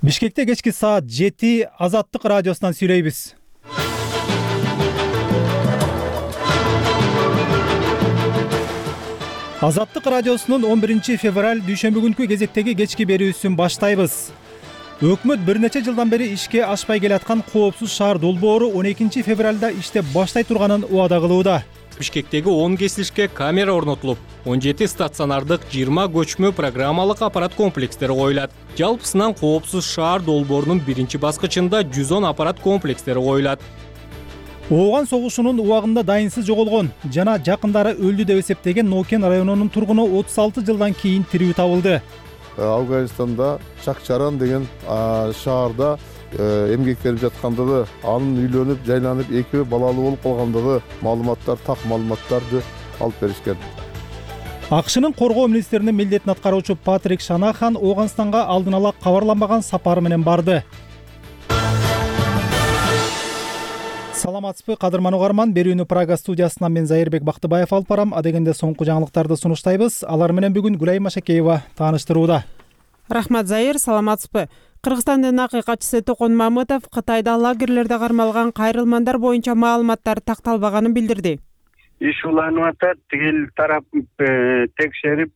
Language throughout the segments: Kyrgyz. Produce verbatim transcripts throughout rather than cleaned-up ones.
Бишкекте кечки саат жети Азаттык радиосунан сүйлөйбүз. Азаттык радиосунун он биринчи февраль дүйшөмбү күнкү кезектеги кечки берүүсүн баштайбыз. Өкмөт бир нече жылдан бери ишке ашпай келаткан коопсуз шаар долбоору он экинчи февралда иштеп баштай турганын убада кылууда. Бишкектеги он кесилишке камера орнотулуп, он жети стационардык, жыйырма көчмө программалык аппарат комплекстери коюлат. Жалпысынан коопсуз шаар долбоорунун биринчи баскычында жүз он аппарат комплекстери коюлат. Ооган согушунун убагында дайынсыз жоголгон жана жакындары өлдү деп эсептеген Нокен районунун тургуну отуз алты жылдан кийин тирүү табылды. Афганистанда Чакчаран деген шаарда эмгектенип жаткандыгы, анын үйлөнүп, жайланып, эки балалуу болуп калгандыгы маалыматтар, так маалыматтарды алып беришкен. АКШнын коргоо министринин милдетин аткаруучу Патрик Шанахан Ооганстанга алдын ала кабарланбаган сапары менен барды. Саламатсызбы, кадырман угарман. Берүүнү Прага студиясынан мен Зайырбек Бактыбаев алып барам. Адегенде соңку жаңылыктарды сунуштайбыз. Алар менен бүгүн Гүлай Машакеева тааныштырууда. Рахмат, Зайыр, саламатсызбы. Кыргызстандын акыйкатчысы Токон Мамытов Кытайда лагерлерде кармалган кайрылмандар боюнча маалыматтар такталбаганын билдирди. Иш уланып атат, тигил тарап текшерип,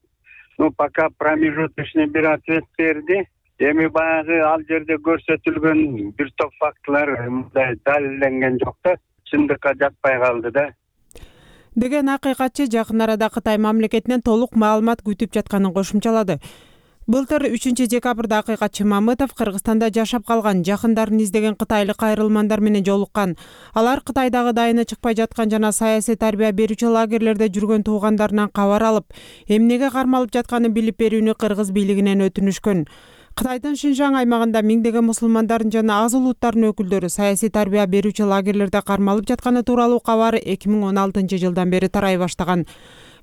ну пока промежуточный бир ответ берди. Эми баягы ал жерде көрсөтүлгөн бир топ фактылар мындай далилденген жок да, чындыкка жатпай калды да. Деген акыйкатчы жакын арада Кытай мамлекетинен толук маалымат күтүп жатканын кошумчалады. Былтыр үчүнчү декабрда акыйкатчы Мамытов Кыргызстанда жашап калган, жакындарын издеген кытайлык кайрылмандар менен жолуккан. Алар Кытайдагы дайыны чыкпай жаткан жана саясий тарбия берүүчү лагерлерде жүргөн туугандарынан кабар алып, эмнеге кармалып жатканын билип берүүнү кыргыз бийлигинен өтүнүшкөн. Кытайдын Шинжаң аймагында миңдеген мусулмандардын жана аз улуттардын өкүлдөрү саясий тарбия берүүчү лагерлерде кармалып жатканы тууралуу кабар эки миң он алтынчы жылдан бери тарай баштаган.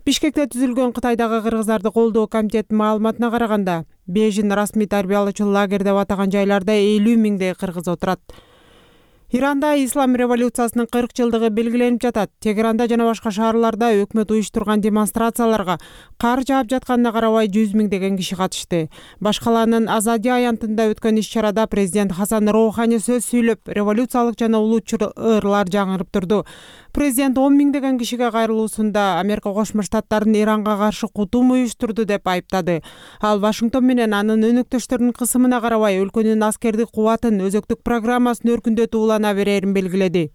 Бишкекте түзүлгөн Кытайдагы кыргыздарды колдоо комитетинин маалыматына караганда, Бейжин расмий тарбиялоочу лагерь деп атаган жайларда элүү миңдей кыргыз отурат. Иранда ислам революциясынын кырк жылдыгы белгиленип жатат. Тегеранда жана башка шаарларда өкмөт уюштурган демонстрацияларга кар жаап жатканына карабай жүз миңдеген киши катышты. Башкаланын Азадия аянтында өткөн иш-чарада президент Хасан Роухани сөз сүйлөп, революциялык жана улуучу ырлар жаңырып турду. Президент он миңдеген кишиге кайрылуусунда Америка Кошмо Штаттарын Иранга каршы кутум уюштурду деп айыптады. Ал Вашингтон менен анын өнөктөштөрүнүн кысымына карабай өлкөнүн аскердик кубатын, өзөктүк программасын өркүндөтүү улана берерин белгиледи.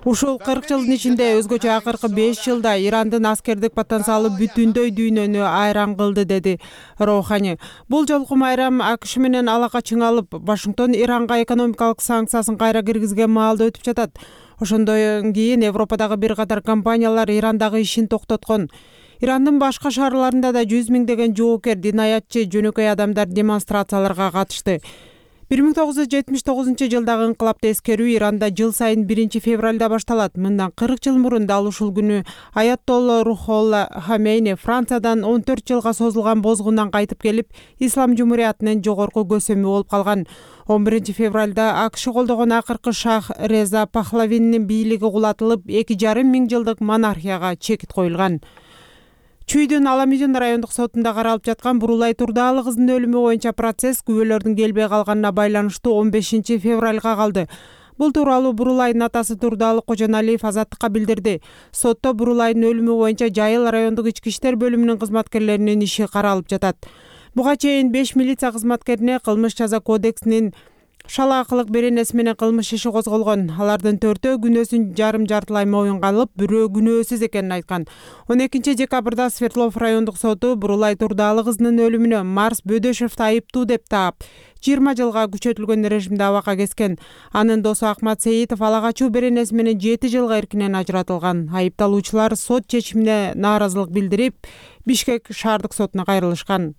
Ушул кырк жылдын ичинде өзгөчө акыркы беш жылда Ирандын аскердик потенциалы бүтүндөй дүйнөнү айран кылды, деди Роухани. Бул жолку майрам АКШ менен алака чыңалып, Вашингтон Иранга экономикалык санкциясын кайра киргизген маалда өтүп жатат. Ошондон кийин Европадагы бир катар компаниялар Ирандагы ишин токтоткон. Ирандын башка шаарларында да жүз миңдеген жоокер, динаятчы, жөнөкөй адамдар демонстрацияларга катышты. бир миң тогуз жүз жетимиш тогузунчу жылдагы инкылапты эскерүү Иранда жыл сайын биринчи февралда башталат. Мындан кырк жыл мурун дал ушул күнү Аятолла Рухолла Хамейни Франциядан он төрт жылга созулган бозгундан кайтып келип, Ислам жумуриятынын жогорку көсөмү болуп калган. он биринчи февралда АКШ колдогон акыркы шах Реза Пахлавинин бийлиги кулатылып, эки жарым миң жылдык монархияга чекит коюлган. Чүйдүн Аламидин райондук сотунда каралып жаткан Бурулай Турдаалы кыздын өлүмү боюнча процесс күбөлөрдүн келбей калганына байланыштуу он бешинчи февралга калды. Бул тууралуу Бурулайдын атасы Турдаалы Кожоналиев Азаттыкка билдирди. Сотто Бурулайдын өлүмү боюнча Жайыл райондук ички иштер бөлүмүнүн кызматкерлеринин иши каралып жатат. Буга чейин беш милиция кызматкерине кылмыш жаза кодексинин шалаакылык беренеси менен кылмыш иши козголгон. Алардын төртөө күнөөсүн жарым жартылай моюнга алып, бирөө күнөөсүз экенин айткан. он экинчи декабрда Свердлов райондук соту Бурулай Турдаалы кызынын өлүмүнө Марс Бөдөшевди айыптуу деп таап, жыйырма жылга күчөтүлгөн режимде абакка кескен. Анын досу Акмат Сейитов ала качуу беренеси менен жети жылга эркинен ажыратылган. Айыпталуучулар сот чечимине нааразылык билдирип, Бишкек шаардык сотуна кайрылышкан.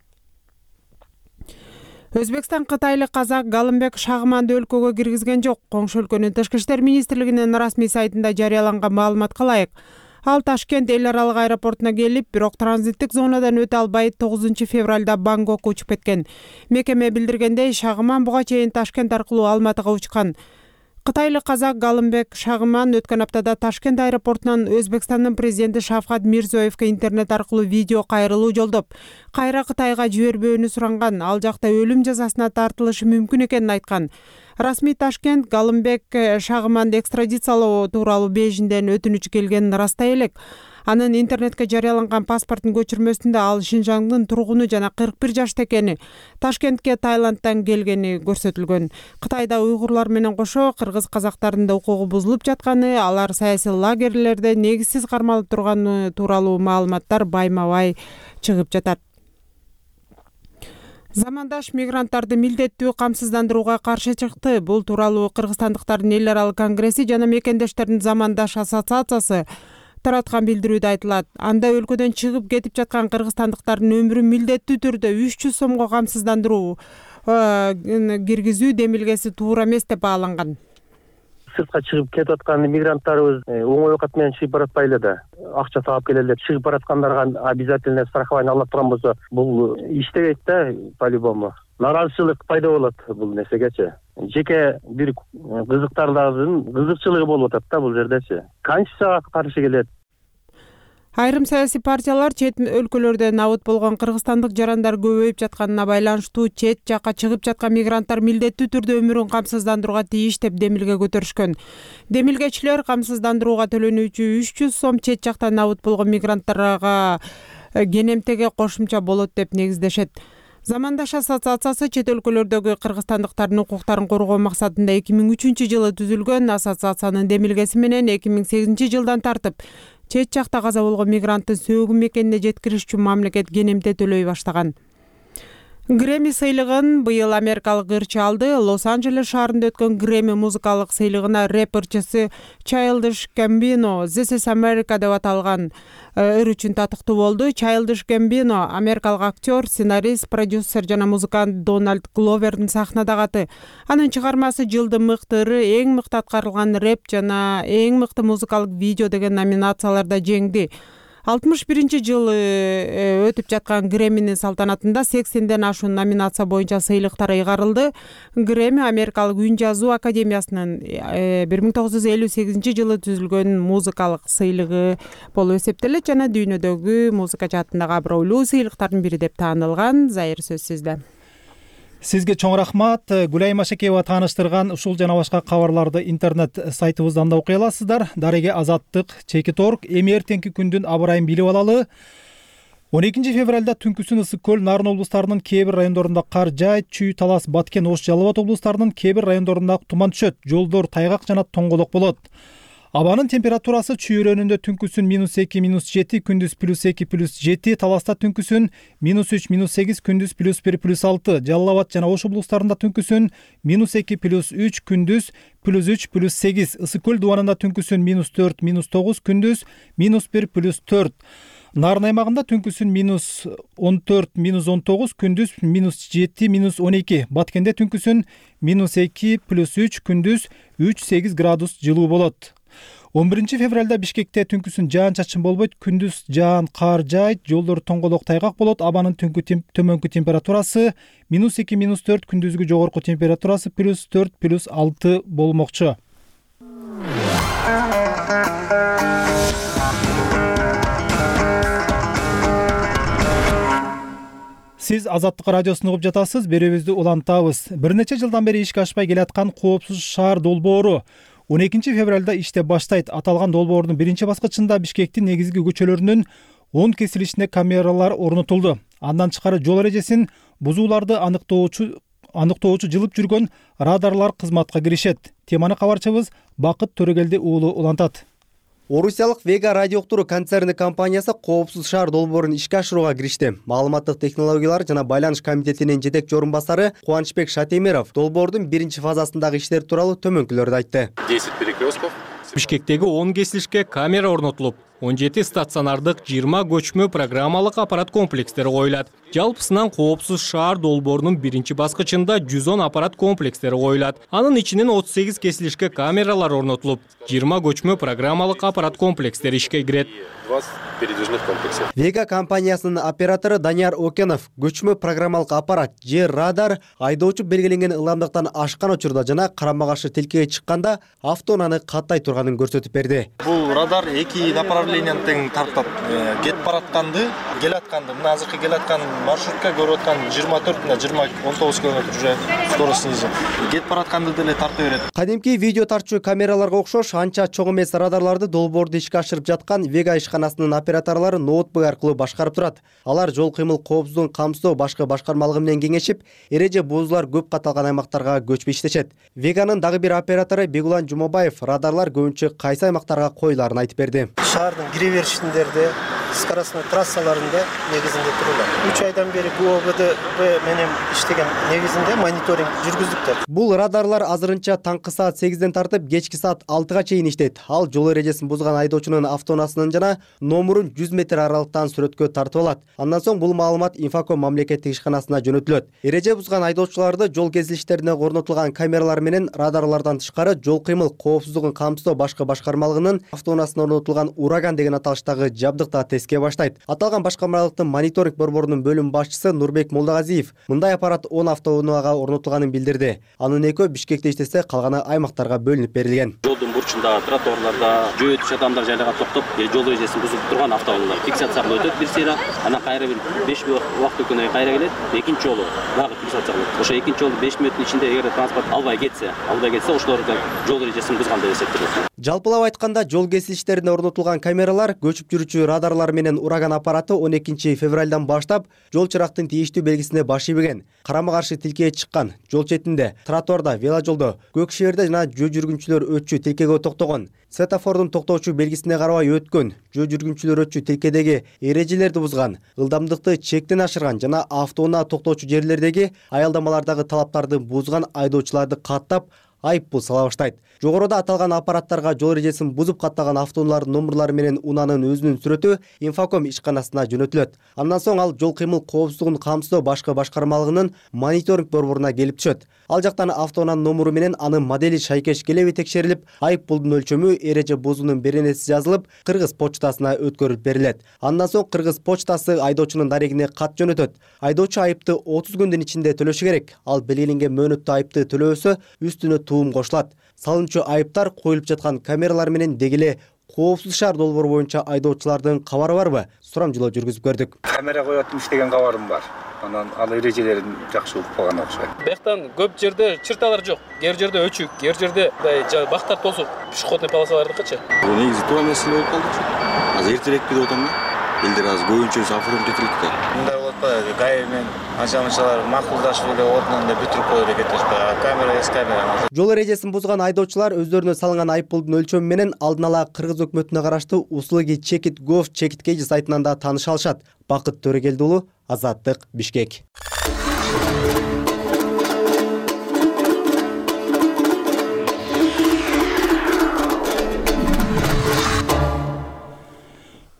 Өзбекстан кытайлык казак Галымбек Шагыманды өлкөгө киргизген жок. Коңшу өлкөнүн тышкы иштер министрлигинин расмий сайтында жарыяланган маалыматка ылайык, ал Ташкент эл аралык аэропортуна келип, бирок транзиттик зонадан өтө албай тогузунчу февралда Бангкокко учуп кеткен. Мекеме билдиргендей, Шагыман буга чейин Ташкент аркылуу Алматыга учкан. Кытайлык казак Галымбек Шагыман өткөн аптада Ташкент аэропортунан Өзбекстандын президенти Шавкат Мирзиёевке интернет аркылуу видео кайрылуу жолдоп, кайра Кытайга жибербөөнү суранган, ал жакта өлүм жазасына тартылышы мүмкүн экенин айткан. Расмий Ташкент Галымбек Шагыманды экстрадициялоо тууралуу Бейжиңден өтүнүч келгенин ырастай элек. Анын интернетке жарыяланган паспорттун көчүрмөсүндө ал Шинжаңдын тургуну жана кырк бир жашта экени, Ташкентке Таиландтан келгени көрсөтүлгөн. Кытайда уйгурлар менен кошо кыргыз казактардын да укугу бузулуп жатканы, алар саясий лагерлерде негизсиз кармалып турганы тууралуу маалыматтар байма-бай чыгып жатат. Замандаш мигранттарды милдеттүү камсыздандырууга каршы чыкты. Бул тууралуу Кыргызстандыктардын эл аралык конгресси жана мекендештердин Замандаш ассоциациясы тараткан билдирүүдө айтылат. Анда өлкөдөн чыгып кетип жаткан кыргызстандыктардын өмүрүн милдеттүү түрдө үч жүз сомго камсыздандыруу киргизүү демилгеси туура эмес деп бааланган. Сыртка чыгып кетип аткан мигранттарыбыз оңой оокат менен чыгып баратпайлы да. Акча таап келели деп чыгып бараткандарга обязательно страхование ала турган болсо, бул иштебейт да по-любому. Наразычылык пайда болот бул нерсегечи. Жеке бир кызыктардын кызыкчылыгы болуп атат да бул жердечи. Конституцияга каршы келет. Айрым саясий партиялар чет өлкөлөрдө набыт болгон кыргызстандык жарандар көбөйүп жатканына байланыштуу чет жакка чыгып жаткан мигранттар милдеттүү түрдө өмүрүн камсыздандырууга тийиш деп демилге көтөрүшкөн. Демилгечилер камсыздандырууга төлөнүүчү үч жүз сом чет жакта набыт болгон мигранттарга кенемтеге кошумча болот деп негиздешет. Замандаш ассоциациясы чет өлкөлөрдөгү кыргызстандыктардын укуктарын коргоо максатында эки миң үчүнчү жылы түзүлгөн. Ассоциациянын демилгеси менен эки миң сегизинчи жылдан тартып чет жакта каза болгон мигранттын сөөгүн мекенине жеткириш үчүн мамлекет кенемте төлөй баштаган. Грэмми сыйлыгын быйыл америкалык ырчы алды. Лос-Анджелес шаарында өткөн Грэмми музыкалык сыйлыгына рэп ырчысы Childish Gambino This is America деп аталган ыр үчүн татыктуу болду. Childish Gambino америкалык актер, сценарист, продюсер жана музыкант Дональд Гловердин сахнадагы аты. Анын чыгармасы жылдын мыкты ыры, эң мыкты аткарылган рэп жана эң мыкты музыкалык видео деген номинацияларда жеңди. алтымыш биринчи жылы өтүп жаткан Грэмминин салтанатында сексенден ашуун номинация боюнча сыйлыктар ыйгарылды. Грэмми америкалык үн жазуу академиясынын бир миң тогуз жүз элүү сегизинчи жылы түзүлгөн музыкалык сыйлыгы болуп эсептелет жана дүйнөдөгү музыка жаатындагы абройлуу сыйлыктардын бири деп таанылган. Зайыр сөз сизде. Сизге чоң рахмат. Гүлайым Ашекеева тааныштырган ушул жана башка кабарларды интернет сайтыбыздан да окуй аласыздар. Дареге Азаттык, Чекит точка орг. Эми эртеңки күндүн аба ырайын билип алалы. он экинчи февралда түнкүсүн Ысык көл, Нарын облустарынын кээ бир райондорунда кар жаайт, Чүй, Талас, Баткен, Ош, Жалал Абад облустарынын кээ бир райондорунда туман түшөт, жолдор тайгак жана тоңголок болот. Абанын температурасы Чүй өрөөнүндө түнкүсүн минус эки, минус жети, күндүз плюс эки, плюс жети, Таласта түнкүсүн минус үч, минус сегиз, күндүз плюс бир, плюс алты, Жалал Абад жана Ош облустарында түнкүсүн минус эки, плюс үч, күндүз плюс үч, плюс сегиз, Ысык көл дубанында түнкүсүн минус төрт, минус тогуз, күндүз минус бир, плюс төрт. Нарын аймагында түнкүсүн минус он төрт, минус он тогуз, күндүз минус жети, минус он эки, Баткенде түнкүсүн минус эки, плюс үч, күндүз үч, сегиз градус жылуу болот. он биринчи февралда Бишкекте түнкүсүн жаан чачын болбойт, күндүз жаан кар жаайт, жолдор тоңголок тайгак болот. Абанын түнкү тем, төмөнкү температурасы минус эки, минус төрт, күндүзгү жогорку температурасы плюс төрт, плюс алты болмокчу. Сиз Азаттык радиосун угуп жатасыз, берүүбүздү улантабыз. Бир нече жылдан бери ишке ашпай келаткан коопсуз шаар долбоору он экинчи февралда иштеп баштайт. Аталган долбоордун биринчи баскычында Бишкектин негизги көчөлөрүнүн он кесилишине камералар орнотулду. Андан тышкары жол эрежесин бузууларды аныктоочу аныктоочу жылып жүргөн радарлар кызматка киришет. Теманы кабарчыбыз Бакыт Төрөгелди уулу улантат. Орусиялык Vega радио уктуруу концерни компаниясы коопсуз шаар долбоорун ишке ашырууга киришти. Маалыматтык технологиялар жана байланыш комитетинин жетекчи орун басары Кубанычбек Шатемиров долбоордун биринчи фазасындагы иштер тууралуу төмөнкүлөрдү айтты. Бишкектеги он кесилишке камера орнотулуп, он жети стационардык, жыйырма көчмө программалык аппарат комплекстери коюлат. Жалпысынан коопсуз шаар долбоорунун биринчи баскычында жүз он аппарат комплекстери коюлат. Анын ичинен отуз сегиз кесилишке камералар орнотулуп, жыйырма көчмө программалык аппарат комплекстери ишке кирет. передвижных комплексов. Вега компаниясынын оператору Данияр Окенов көчмө программалык аппарат же радар айдоочу белгиленген ылдамдыктан ашкан учурда жана карама каршы тилкеге чыкканда автоунааны каттай турганын көрсөтүп берди. Бул радар эки направленияны тең тартат. Кетип баратканды, келатканды, мына азыркы келаткан маршрутка көрүп аткан жыйырма төрт мына жыйырма он тогуз километр уже скорость снизу. Кетип баратканды деле тартып берет. Кадимки видео тартчу камераларга окшош анча чоң эмес радарларды долбоорду ишке ашырып жаткан Вега ишканасынын операторлору ноутбук аркылуу башкарып турат. Алар жол кыймыл коопсуздугун камсыздоо башкы башкармалыгы менен кеңешип, эреже бузуулар көп катталган аймактарга көчүп иштешет. Веганын дагы бир оператору Бегулан Жумабаев радарлар көбүнчө кайсы аймактарга коюлаарын айтып берди. Шаардын кире беришиндерде, скоростной трассаларында негизинде турулат. үч айдан бери ГУОБДБ менен иштеген негизинде мониторинг жүргүздүктөр. Бул радарлар азырынча таңкы саат сегизден тартып кечки саат алтыга чейин иштейт. Ал жол эрежесин бузган айдоочунун автоунаасынын жана номурун жүз метр аралыктан сүрөткө тартып алат. Андан соң бул маалымат Инфоком мамлекеттик ишканасына жөнөтүлөт. Эреже бузган айдоочуларды жол кезилиштерине орнотулган камералар менен радарлардан тышкары жол кыймыл коопсуздугун камсыздоо башкы башкармалыгынын автоунаасына орнотулган ураган деген аталыштагы жабдыкта теске баштайт. Аталган башкармалыктын мониторинг борборунун бөлүм башчысы Нурбек Молдагазиев мындай аппарат он автоунаага орнотулганын билдирди. Анын экөө Бишкекте иштесе, калганы аймактарга бөлүнүп берилген. Жолдун бурчунда, тротуарларда жөө өтүш адамдар жайлаган токтоп, жол эрежесин бузуп турган автоунаалар фиксацияга өтөт бир сыйра, анан кайра бир беш убакыт өткөндөн кийин кайра келет, экинчи жолу дагы фиксация кылынат. Ошо экинчи жолу беш мүнөттүн ичинде эгер транспорт албай кетсе, албай кетсе, ошолор жол эрежесин бузган деп эсептелет. Жалпылап айтканда, жол кесилиштерине орнотулган камералар, көчүп жүрүүчү радарлар менен ураган аппараты он экинчи февралдан баштап жол чырактын тийиштүү белгисине баш ийбеген, карама каршы тилкеге чыккан, жол четинде, тротуарда, веложолдо, көк шеберде жана жөө жүргүнчүлөр өтчү тилкеге токтогон, светофордун токтоочу белгисине карабай өткөн, жөө жүргүнчүлөр өтчү тилкедеги эрежелерди бузган, ылдамдыкты чектен ашырган жана автоунаа токтоочу жерлердеги аялдамалардагы талаптарды бузган айдоочуларды каттап айыппул сала баштайт. Жогоруда аталган аппараттарга жол эрежесин бузуп каттаган автоунаалардын номурлары менен унаанын өзүнүн сүрөтү Инфоком ишканасына жөнөтүлөт. Андан соң ал жол кыймыл коопсуздугун камсыздоо башкы башкармалыгынын мониторинг борборуна келип түшөт. Ал жактан автоунаанын номуру менен анын модели шайкеш келеби текшерилип, айыппулдун өлчөмү, эреже бузуунун беренеси жазылып, Кыргыз почтасына өткөрүлүп берилет. Андан соң Кыргыз почтасы айдоочунун дарегине кат жөнөтөт. Айдоочу айыпты отуз күндүн ичинде төлөшү керек. Ал белгиленген мөөнөттө айыпты төлөбөсө, үстүнө туум кошулат. Салынчу айыптар коюлуп жаткан камералар менен дегеле коопсуз шаар долбоору боюнча айдоочулардын кабары барбы? Сурамжылоо жүргүзүп көрдүк. Камера коюп иштеген кабарым бар. Анан ал эрежелерин жакшы угуп калган окшойт. Бияктан көп жерде чырталар жок. Кээ бир жерде өчүк, кээ бир жерде мындай бактар тосуп, пешеходный полосалардыкычы. Бул негизи туура маселе болуп калды. Азыр эртерээк деп атам да. Элдер азыр көбүнчөсү оформдетилет да. Мындай болуп атпайбы? ГАИ менен анча-мынчалар макулдашып эле ордунан эле бүтүрүп коюп эле кетишпайбы? Камера эс камера. Жол эрежесин бузган айдоочулар өздөрүнө салынган айыппулдун өлчөмү менен алдын ала Кыргыз өкмөтүнө караштуу Услуги Чекит Gov Чекиткеji сайтынан да тааныша алышат. Бакыт Төрөгелди уулу, Азаттык, Бишкек.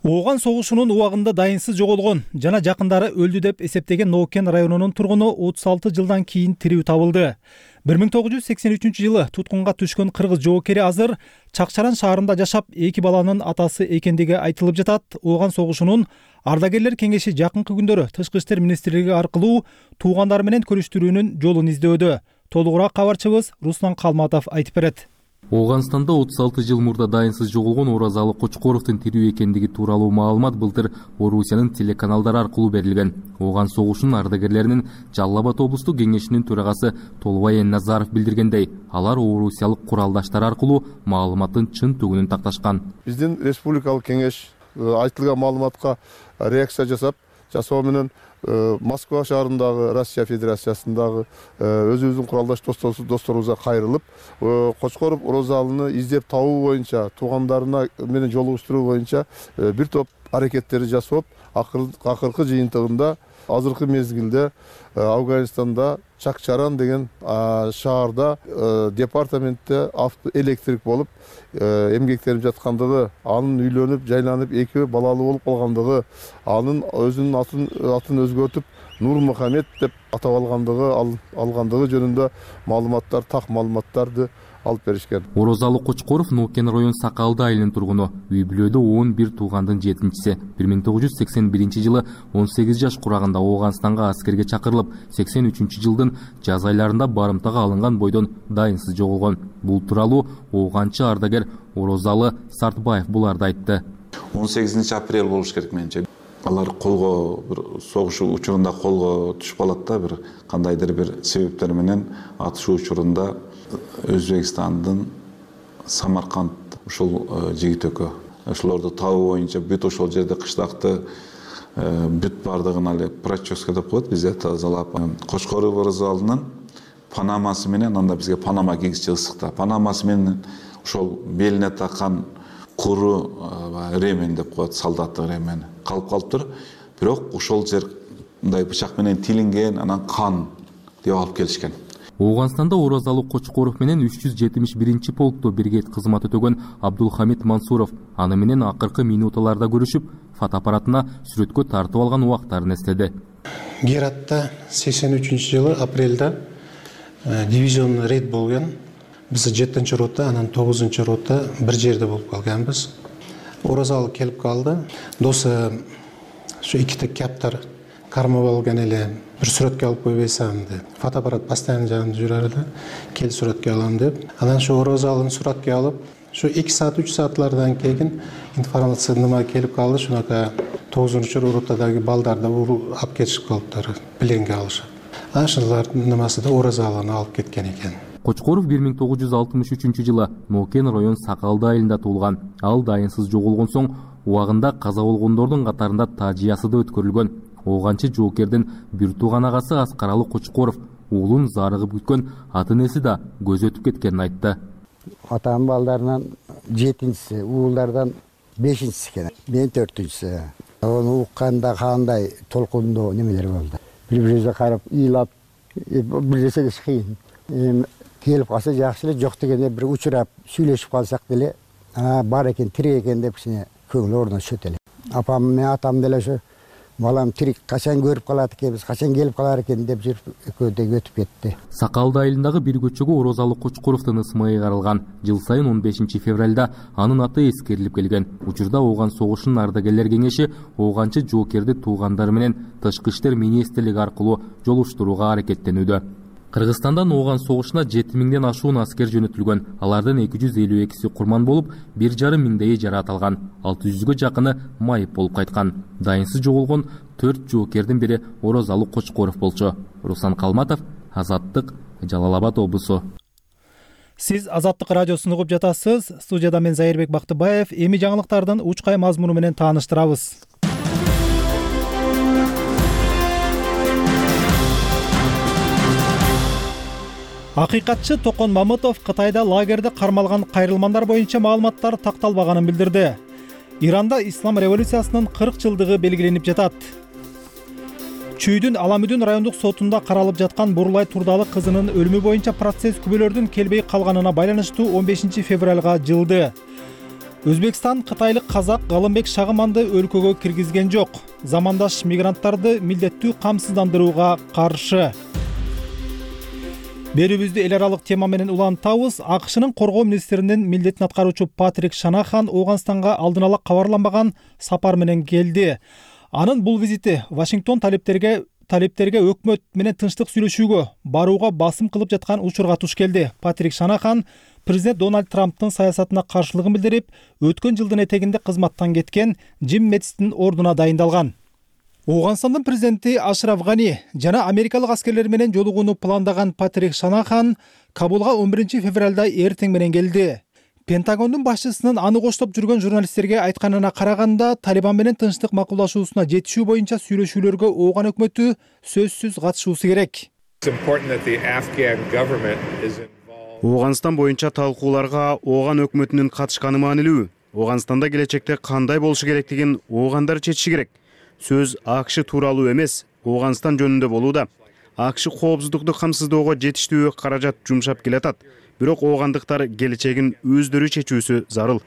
Ооган согушунун убагында дайынсыз жоголгон жана жакындары өлдү деп эсептеген Ноокен районунун тургуну отуз алты жылдан кийин тирүү табылды. бир миң тогуз жүз сексен үчүнчү жылы туткунга түшкөн кыргыз жоокери азыр Чакчаран шаарында жашап, эки баланын атасы экендиги айтылып жатат. Ооган согушунун ардагерлер кеңеши жакынкы күндөрү Тышкы иштер министрлиги аркылуу туугандары менен көрүштүрүүнүн жолун издөдө. Толугураак кабарчыбыз Руслан Калматов айтып берет. Ооганстанда отуз алты жыл мурда дайынсыз жоголгон Оразалы Кочкоровдун тирүү экендиги тууралуу маалымат былтыр Орусиянын телеканалдары аркылуу берилген. Ооган согушунун ардагерлеринин Жалал Абад облустук кеңешинин төрагасы Толубай Назаров билдиргендей, алар орусиялык куралдаштар аркылуу маалыматтын чын түгүнүн такташкан. Биздин республикалык кеңеш айтылган маалыматка реакция жасап, жасоо менен Москва шаарындагы Россия Федерациясындагы өзүбүздүн куралдаш досторубузга кайрылып, Кочкоров Оразалыны издеп табуу боюнча, туугандарына менен жолугуштуруу боюнча бир топ аракеттерди жасап, акыркы жыйынтыгында азыркы мезгилде Афганистанда Чакчаран деген шаарда департаментте автоэлектрик болуп эмгектенип жаткандыгы, анын үйлөнүп, жайланып эки балалуу болуп калгандыгы, анын өзүнүн атын атын өзгөртүп Нур Мухаммед деп атап алгандыгы алгандыгы жөнүндө маалыматтар, так маалыматтарды алып беришкен. Орозалы Кочкоров Нокен район Сакалды айылынын тургуну. Үй бүлөдө он бир туугандын жетинчиси. бир миң тогуз жүз сексен биринчи жылы он сегиз жаш курагында Ооганстанга аскерге чакырылып, сексен үчүнчү жылдын жаз айларында барымтага алынган бойдон дайынсыз жоголгон. Бул тууралуу ооганчы ардагер Орозалы Сартбаев буларды айтты. он сегизинчи апрель болуш керек менимче. Алар колго бир согуш учурунда колго түшүп калат да, бир кандайдыр бир себептер менен атышуу учурунда Өзбекстандын Самарканд ушул жигит экөө. Ошолорду табуу боюнча бүт ошол жерде кыштакты бүт бардыгын эле проческа деп коет бизде тазалап. Кочкоров Орозалынын панамасы менен, анда бизге панама кийгизчи ысыкта. Панамасы менен ошол белине таккан куру ремен деп коет, солдаттык ремен калып калыптыр. Бирок ошол жер мындай бычак менен тилинген, анан кан деп алып келишкен. Ооганстанда Орозалы Кочкоров менен үч жүз жетимиш биринчи полкто бирге кызмат өтөгөн Абдулхамид Мансуров аны менен акыркы минуталарда көрүшүп, фотоаппаратына сүрөткө тартып алган убактарын эстеди. Гератта сексен үчүнчү жылы апрелде дивизион рейд болгон. Биз жетинчи рота, анан тогузунчу рота бир жерде болуп калганбыз. Орозалы келип калды. Досы şu ikkita каптар кармап алган эле, бир сүрөткө алып койбойсуң деп. Фотоаппарат постоянно жанында жүрөр эле. Кел сүрөткө алам деп. Анан şu Орозалын сүрөткө алып, şu эки саат үч саатлардан кийин информация нема келип калды. Шунака тогузунчу ротадагы балдарды алып кетишип калыптыр, пленге алышып. Ашылардын немасы да Орозалыны алып кеткен экен. Кочкоров бир миң тогуз жүз алтымыш үчүнчү жылы Нокен район Сакалды айылында туулган. Ал дайынсыз жоголгон соң убагында каза болгондордун катарында Тажиясыда өткөрүлгөн. Ооганчы жоокердин бир тууган агасы Аскаралы Кочкоров уулун зарыгып күткөн ата энеси да көз өтүп кеткенин айтты. Атам балдарынан жетинчиси, уулдардан бешинчиси экен. Мен төртүнчүсү. Аны укканда кандай толкундуу немелер болду. Бири-бирибизге карап, ыйлап, бир нерсе кыйын. Келип калса жакшы эле, жок дегенде бир учурап сүйлөшүп калсак деле, бар экен, тирик экен деп кичине көңүл орношот эле. Апам менен атам деле ошо балам тирик качан көрүп калат экенбиз, качан келип калар экен деп жүрүп экөөдө өтүп кетти. Сакалды айылындагы бир көчөгө Орозалы Кочкоровдун ысмы ыйгарылган. Жыл сайын он бешинчи февралда анын аты эскерилип келген. Учурда Ооган согушунун ардагерлер кеңеши ооганчы жоокерди туугандары менен Тышкы иштер министрлиги аркылуу жолуштурууга аракеттенүүдө. Кыргызстандан Ооган согушуна жети миңден ашуун аскер жөнөтүлгөн. Алардын эки жүз элүү экиси курман болуп, бир жарым миңдейи жаратылган. алты жүзгө жакыны майып болуп кайткан. Дайынсыз жоголгон төрт жоокердин бири Орозалы Кочкоров болчу. Руслан Калматов, Азаттык, Жалал Абад облусу. Сиз Азаттык радиосун угуп жатасыз. Студияда мен Зайырбек Бактыбаев. Эми жаңылыктардын учкай мазмуну менен тааныштырабыз. Акыйкатчы Токон Мамытов Кытайда лагерде кармалган кайрылмандар боюнча маалыматтар такталбаганын билдирди. Иранда ислам революциясынын кырк жылдыгы белгиленип жатат. Чүйдүн Аламүдүн райондук сотунда каралып жаткан Бурлай Турдалы кызынын өлүмү боюнча процесс күбөлөрдүн келбей калганына байланыштуу он бешинчи февралга жылды. Өзбекстан кытайлык казак Галымбек Шагыманды өлкөгө киргизген жок. Замандаш мигранттарды милдеттүү камсыздандырууга каршы. Берүүбүздү эл аралык тема менен улантабыз. АКШнын коргоо министринин милдетин аткаруучу Патрик Шанахан Ооганстанга алдын ала кабарланбаган сапар менен келди. Анын бул визити Вашингтон талептерге талептерге өкмөт менен тынчтык сүйлөшүүгө барууга басым кылып жаткан учурга туш келди. Патрик Шанахан президент Дональд Трамптын саясатына каршылыгын билдирип, өткөн жылдын этегинде кызматтан кеткен Джим Мэтистин ордуна дайындалган. Ооганстандын президенти Ашраф Гани жана америкалык аскерлер менен жолугууну пландаган Патрик Шанахан Кабулга он биринчи февралда эртең менен келди. Пентагондун башчысынын аны коштоп жүргөн журналисттерге айтканына караганда, Талибан менен тынчтык макулдашуусуна жетишүү боюнча сүйлөшүүлөргө Ооган өкмөтү сөзсүз катышуусу керек. Ооганстан боюнча талкууларга Ооган өкмөтүнүн катышканы маанилүү. Ооганстанда келечекте кандай болушу керектигин оогандар чечиши керек. сөз АКШ тууралуу эмес, Ооганстан жөнүндө болууда. АКШ коопсуздукту камсыздоого жетиштүү каражат жумшап келатат. Бирок оогандыктар келечегин өздөрү чечүүсү зарыл.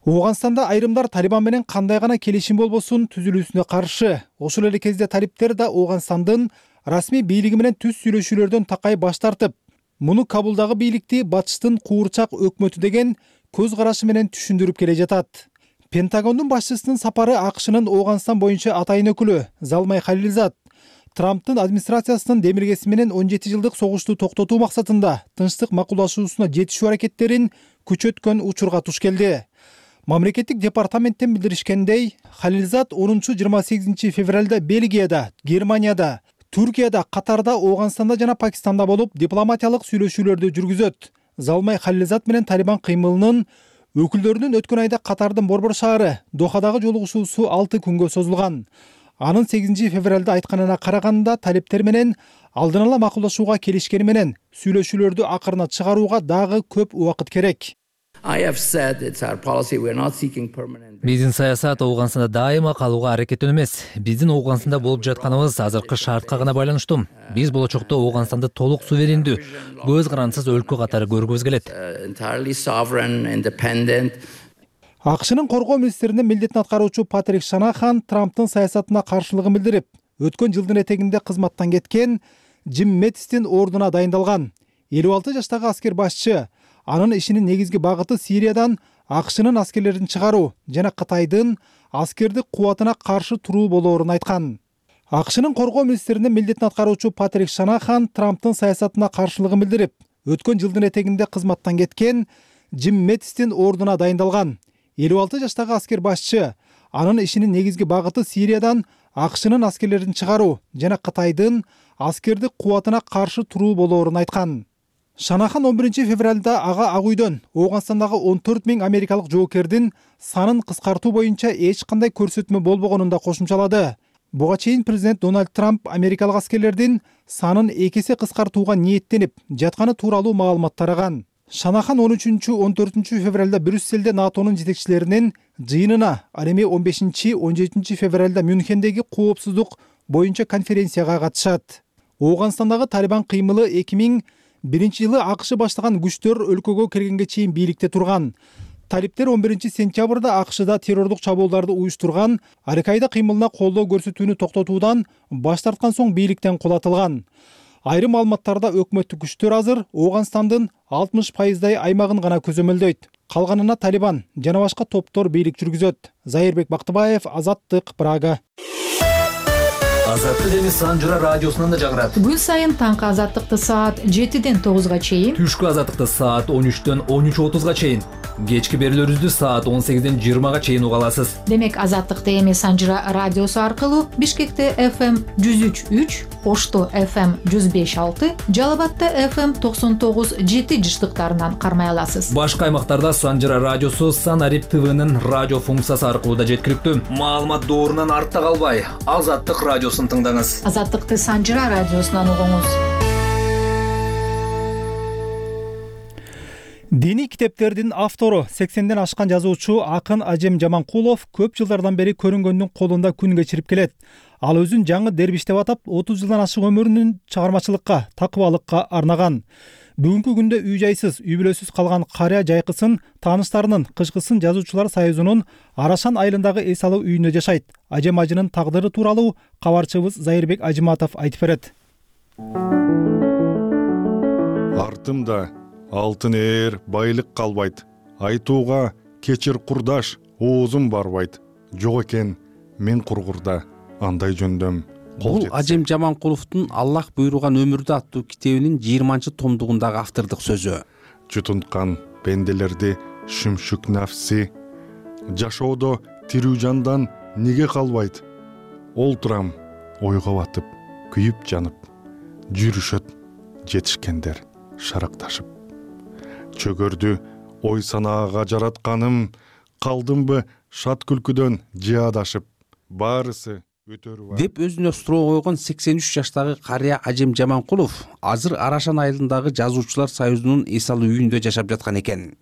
Ооганстанда айрымдар Талибан менен кандай гана келишим болбосун түзүлүүсүнө каршы. Ошол эле кезде талиптер да Ооганстандын расмий бийлиги менен түз сүйлөшүүлөрдөн такай баш тартып, муну Кабулдагы бийликти батыштын куурчак өкмөтү деген көз карашы менен түшүндүрүп келе жатат. Пентагондун башчысынын сапары АКШнын Ооганстан боюнча атайын өкүлү Залмай Халилзад Трамптын администрациясынын демилгеси менен он жети жылдык согушту токтотуу максатында тынчтык макулдашуусуна жетишүү аракеттерин күчөткөн учурга туш келди. Мамлекеттик департаменттен билдиришкендей, Халилзад онунчу жыйырма сегизинчи февралда Бельгияда, Германияда, Түркияда, Катарда, Ооганстанда жана Пакистанда болуп дипломатиялык сүйлөшүүлөрдү жүргүзөт. Залмай Халилзад менен Талибан кыймылынын өкүлдөрүнүн өткөн айда Катардын Борбор шаары Дохадагы жолугушуусу алты күнгө созулган. Анын сегизинчи февралда айтканына караганда талиптер менен алдын ала макулдашууга келишкени менен сүйлөшүүлөрдү акырына чыгарууга дагы көп убакыт керек. Биздин саясат Ооганстанда дайыма калууга аракеттөө эмес. Биздин Ооганстанда болуп жатканыбыз азыркы шартка гана байланыштуу. Биз болочокто Ооганстанды толук суверендүү, көз карандысыз өлкө катары көргүбүз келет. АКШнын коргоо министринин милдетин аткаруучу Патрик Шанахан Трамптын саясатына каршылыгын билдирип, өткөн жылдын этегинде кызматтан кеткен Джим Мэттистин ордуна дайындалган. элүү алты жаштагы аскер башчы анын ишинин негизги багыты Сириядан АКШнын аскерлерин чыгаруу жана Кытайдын аскердик кубатына каршы туруу болоорун айткан. АКШнын коргоо министринин милдетин аткаруучу Патрик Шанахан Трамптын саясатына каршылыгын билдирип, өткөн жылдын этегинде кызматтан кеткен Джим Мэттистин ордуна дайындалган. элүү алты жаштагы аскер башчы анын ишинин негизги багыты Сириядан АКШнын аскерлерин чыгаруу жана Кытайдын аскердик кубатына каршы туруу болоорун айткан. Шанахан он биринчи февралда ага Ак үйдөн Ооганстандагы он төрт миң америкалык жоокердин санын кыскартуу боюнча эч кандай көрсөтмө болбогонун да кошумчалады. Буга чейин президент Дональд Трамп америкалык аскерлердин санын эки эсе кыскартууга ниеттенип жатканы тууралуу маалымат тараган. Шанахан он үчүнчү он төртүнчү февралда Брюсселде НАТОнун жетекчилеринин жыйынына, ал эми он бешинчи он жетинчи февралда Мюнхендеги коопсуздук боюнча конференцияга катышат. Ооганстандагы Талибан кыймылы эки миң биринчи жылы АКШ баштаган күчтөр өлкөгө киргенге чейин бийликте турган. Талиптер он биринчи сентябрда АКШда террордук чабуулдарды уюштурган Аль-Каида кыймылына колдоо көрсөтүүнү токтотуудан баш тарткан соң бийликтен кулатылган. Айрым маалыматтарда өкмөттүк күчтөр азыр Ооганстандын алтымыш пайыздай аймагын гана көзөмөлдөйт. Калганына Талибан жана башка топтор бийлик жүргүзөт. Зайырбек Бактыбаев, Азаттык, Прага. Азаттык эми Санжыра радиосунан да жагырат. Күн сайын таңкы азаттыкты саат жетиден тогузга чейин, түшкү азаттыкты саат он үчтөн он үч отузга чейин, кечки берүүлөрүбүздү саат он сегизден жыйырмага чейин уга аласыз. Демек азаттыкты эми Санжыра радиосу аркылуу Бишкекте эф эм жүз үч үч, Ошто эф эм жүз беш алты, Жалал Абадта эф эм токсон тогуз жети жыштыктарынан кармай аласыз. Башка аймактарда Санжыра радиосу Санарип ТВнын радио функциясы аркылуу да жеткиликтүү. Маалымат доорунан артта калбай, Азаттык радиосун тыңдаңыз. Азаттыкты Санжыра радиосунан угуңуз. Диний китептердин автору сексенден ашкан жазуучу акын Ажем Жаманкулов көп жылдардан бери көрүнгөндүн колунда күн кечирип келет. Ал өзүн жаңы дербиш деп атап, отуз жылдан ашык өмүрүнүн чыгармачылыкка, такыбалыкка арнаган. Бүгүнкү күндө үй жайсыз, үй бүлөсүз калган карыя жайкысын тааныштарынын кышкысын жазуучулар союзунун Арашан айылындагы эс алуу үйүндө жашайт. Ажем ажынын тагдыры тууралуу кабарчыбыз Зайырбек Ажыматов айтып берет. Артымда алтын ээр байлык калбайт. Айтууга кечир курдаш, оозум барбайт. Жок экен мен кургурда андай жөндөм. Бул Ажем Жаманкуловдун Аллах буйруган өмүрдү аттуу китебинин жыйырманчы томдугундагы автордук сөзү. Жутунткан пенделерди шүмшүк нафси, жашоодо тирүү жандан неге калбайт? Олтурам ойго батып, күйүп жанып, жүрүшөт жетишкендер шаракташып. Чөгөрдү ой санаага жаратканым, калдымбы шат күлкүдөн жаадашып, баарысы деп өзүнө суроо койгон сексен үч жаштагы карыя Ажем Жаманкулов азыр Арашан айылындагы жазуучулар союзунун эс алуу үйүндө жашап жаткан экен.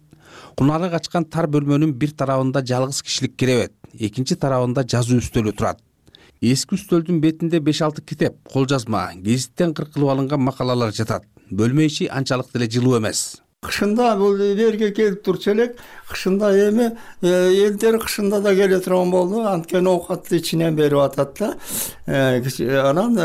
Кунары качкан тар бөлмөнүн бир тарабында жалгыз кишилик керебет, экинчи тарабында жазуу үстөлү турат. Эски үстөлдүн бетинде беш алты китеп, кол жазма, гезиттен кыркылып алынган макалалар жатат. Бөлмө ичи анчалык деле жылуу эмес. Кышында бул жерге келип турчу элек, кышында эми элдер кышында да келе турган болду. Анткени оокатты ичинен берип атат да. Анан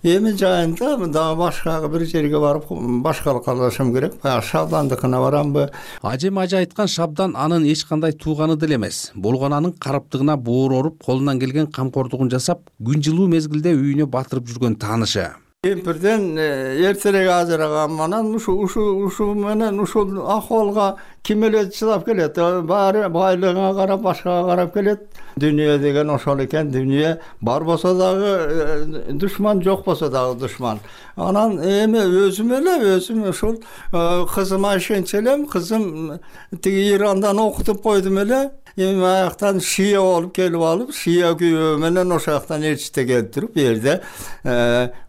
эми жайында дагы башка бир жерге барып башкалашым керек. Шабдандыкына барамбы? Ажем ажы айткан Шабдан анын эч кандай тууганы деле эмес. Болгонанын караптыгына боор оруп, колунан келген камкордугун жасап, күн жылуу мезгилде үйүнө батырып жүргөн таанышы. Кемпирден эртерээк ажыраган анан ушу ушу ушу менен ушул акыбалга ким эле чыдап келет? Баары байлыгына карап, башкага карап келет. Дүйнө деген ошол экен. Дүйнө бар болсо дагы душман, жок болсо дагы душман. Анан эми өзүм эле өзүм ушул кызыма ишенчү элем. Кызым тиги Ирандан окутуп койдум эле. Эми аяктан шия болуп келип алып, шия күйөө менен ошол жактан элчите келип туруп, бу жерде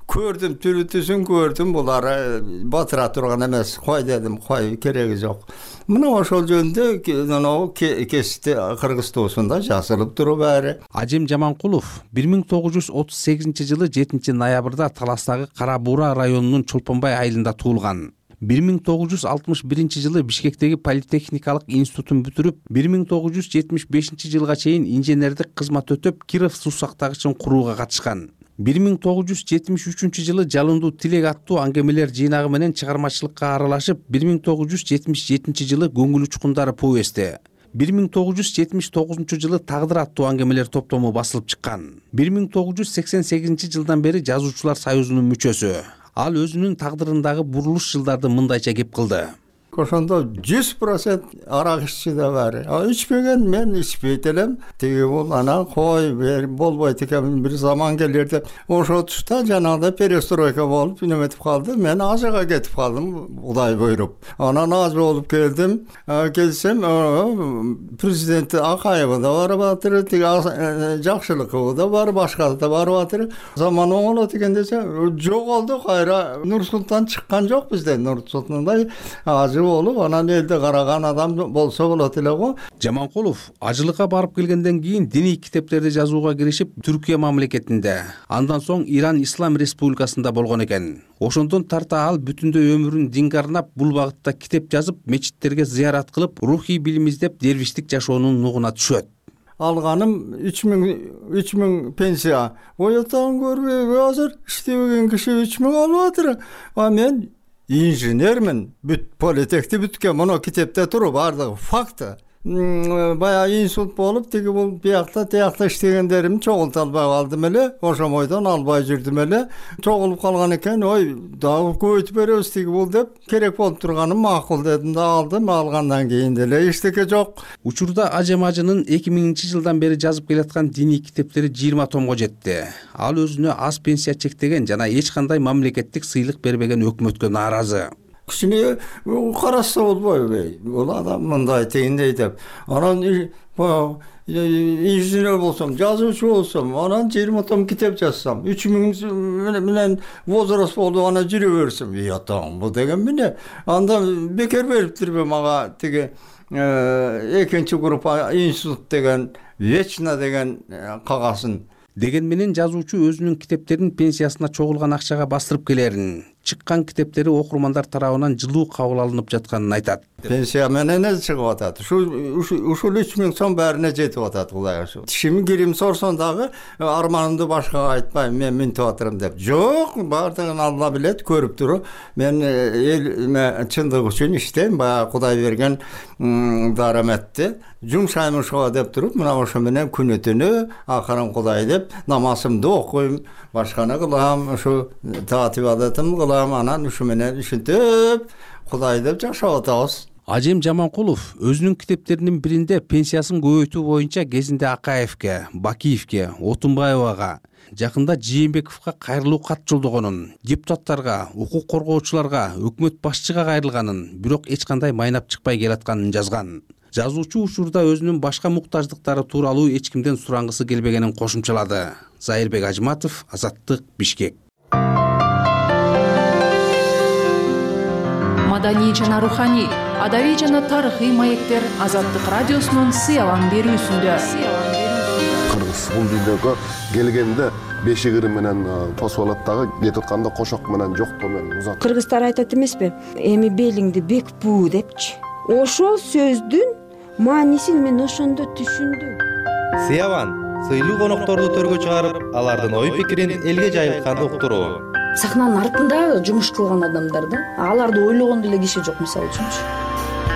көрдүм, түрүтүсүн көрдүм, булар батыра турган эмес. Кой дедим, кой кереги жок. Мына ошол жөнүндө кесипти Кыргыз туусунда жазылып туруп баары. Ажем Жаманкулов бир миң тогуз жүз отуз сегизинчи жылы жетинчи ноябрда Таластагы Кара Буура районунун Чолпонбай айылында туулган. бир миң тогуз жүз алтымыш биринчи жылы Бишкектеги политехникалык институтун бүтүрүп, бир миң тогуз жүз жетимиш бешинчи жылга чейин инженердик кызмат өтөп, Киров суу сактагычын курууга катышкан. бир миң тогуз жүз жетимиш үчүнчү жылы Жалындуу тилек аттуу аңгемелер жыйнагы менен чыгармачылыкка аралашып, бир миң тогуз жүз жетимиш жетинчи жылы Көңүл учкундары повести. бир миң тогуз жүз жетимиш тогузунчу жылы Тагдыр аттуу аңгемелер топтому басылып чыккан. бир миң тогуз жүз сексен сегизинчи жылдан бери Жазуучулар союзунун мүчөсү. Ал өзүнүн тагдырындагы бурулуш жылдарды мындайча кеп кылды. Ошондо жүз процент арак иччи да бар. А ичпеген мен ичпейт элем. Тиги бул анан кой болбойт экен, бир заман келер деп. Ошол тушта жанагыдай перестройка болуп, неметип калды. Мен Азияга кетип калдым, Кудай буйруп. Анан аз болуп келдим. Келсем, президент Акаева да барып атыр, тиги Жакшылыкова да барып, башка да барып атыр. Заман оңолот экен десе, жоголду кайра. Нур-Султан чыккан жок бизден. Нур-Султандай азы болуп, анан элде караган адам болсо болот эле го. Жаманкулов ажылыкка барып келгенден кийин диний китептерди жазууга киришип, Түркия мамлекетинде, андан соң Иран Ислам Республикасында болгон экен. Ошондон тарта ал бүтүндөй өмүрүн динге арнап, бул багытта китеп жазып, мечиттерге зыярат кылып, рухий билим издеп, дервиштик жашоонун нугуна түшөт. Алганым үч миң пенсия. Оятан көрбөй, азыр иштебеген киши үч миң алып атыр. А мен инженермин, бүт политехти бүткөн, мына китепте туруп бардыгы факты. Баягы инсульт болуп, тиги бул биякта, тиякта иштегендерим чогулта албай калдым эле. Ошомойдон албай жүрдүм эле. Чогулуп калган экен, ой, дагы көбөйтүп беребиз тиги бул деп, керек болуп турганым макул дедим да алдым. Алгандан кийин деле эчтеке жок. Учурда Ажем ажынын эки миңинчи жылдан бери жазып келаткан диний китептери жыйырма томго жетти. Ал өзүнө аз пенсия чектеген жана эч кандай мамлекеттик сыйлык бербеген өкмөткө нааразы. Кичине караса болбойбу? Бул адам мындай тегиндей деп. Анан инженер болсом, жазуучу болсом, анан жыйырма том китеп жазсам, үч миң менен возраст болуп ана жүрө берсем, ятам, бул деген эмне? Анда бекер бериптирби мага тиги экинчи группа институт деген, вечно деген кагасын. Деген менен жазуучу өзүнүн китептерин пенсиясына чогулган акчага бастырып келерин, чыккан китептери окурмандар тарабынан жылуу кабыл алынып жатканын айтат. Пенсия менен эле чыгып атат. Ушул үч миң сом баарына жетип атат Кудай ошо. Тишим кирим сорсоң дагы арманымды башкага айтпайм, мен минтип атырым деп. Жок, баардыгын Алла билет, көрүп туруп. Мен эл чындык үчүн иштейм, баягы Кудай берген дараметти жумшайм ошого деп туруп, мына ошо менен күнү түнү акырын Кудай деп намазымды окуйм, башканы кылам, ушу таат ибадатымды кылам, анан ушу менен ушинтип Кудай деп жашап атабыз. Ажем Жаманкулов өзүнүн китептеринин биринде пенсиясын көбөйтүү боюнча кезинде Акаевке, Бакиевке, Отунбаевага, жакында Жээнбековго кайрылуу кат жолдогонун, депутаттарга, укук коргоочуларга, өкмөт башчыга кайрылганын, бирок эч кандай майнап чыкпай келатканын жазган. Жазуучу учурда өзүнүн башка муктаждыктары тууралуу эч кимден сурангысы келбегенин кошумчалады. Зайырбек Ажматов, Азаттык, Бишкек. маданий жана руханий, адабий жана тарыхый маектер Азаттык радиосунун сыялан берүүсүндө. Кыргыз бул дүйнөгө келгенде бешигири менен тосуп алат дагы, кетип атканда кошок менен жоктоо менен узат. Кыргыздар айтат эмеспи? Эми белиңди бек буу депчи. Ошол сөздүн маанисин мен ошондо түшүндүм. Сыяван сыйлуу конокторду төргө чыгарып, алардын ой пикирин элге жайылтканды уктуруу. Сахнанын артында жумуш кылган адамдар да, аларды ойлогондо эле киши жок, мисалы үчүнчү.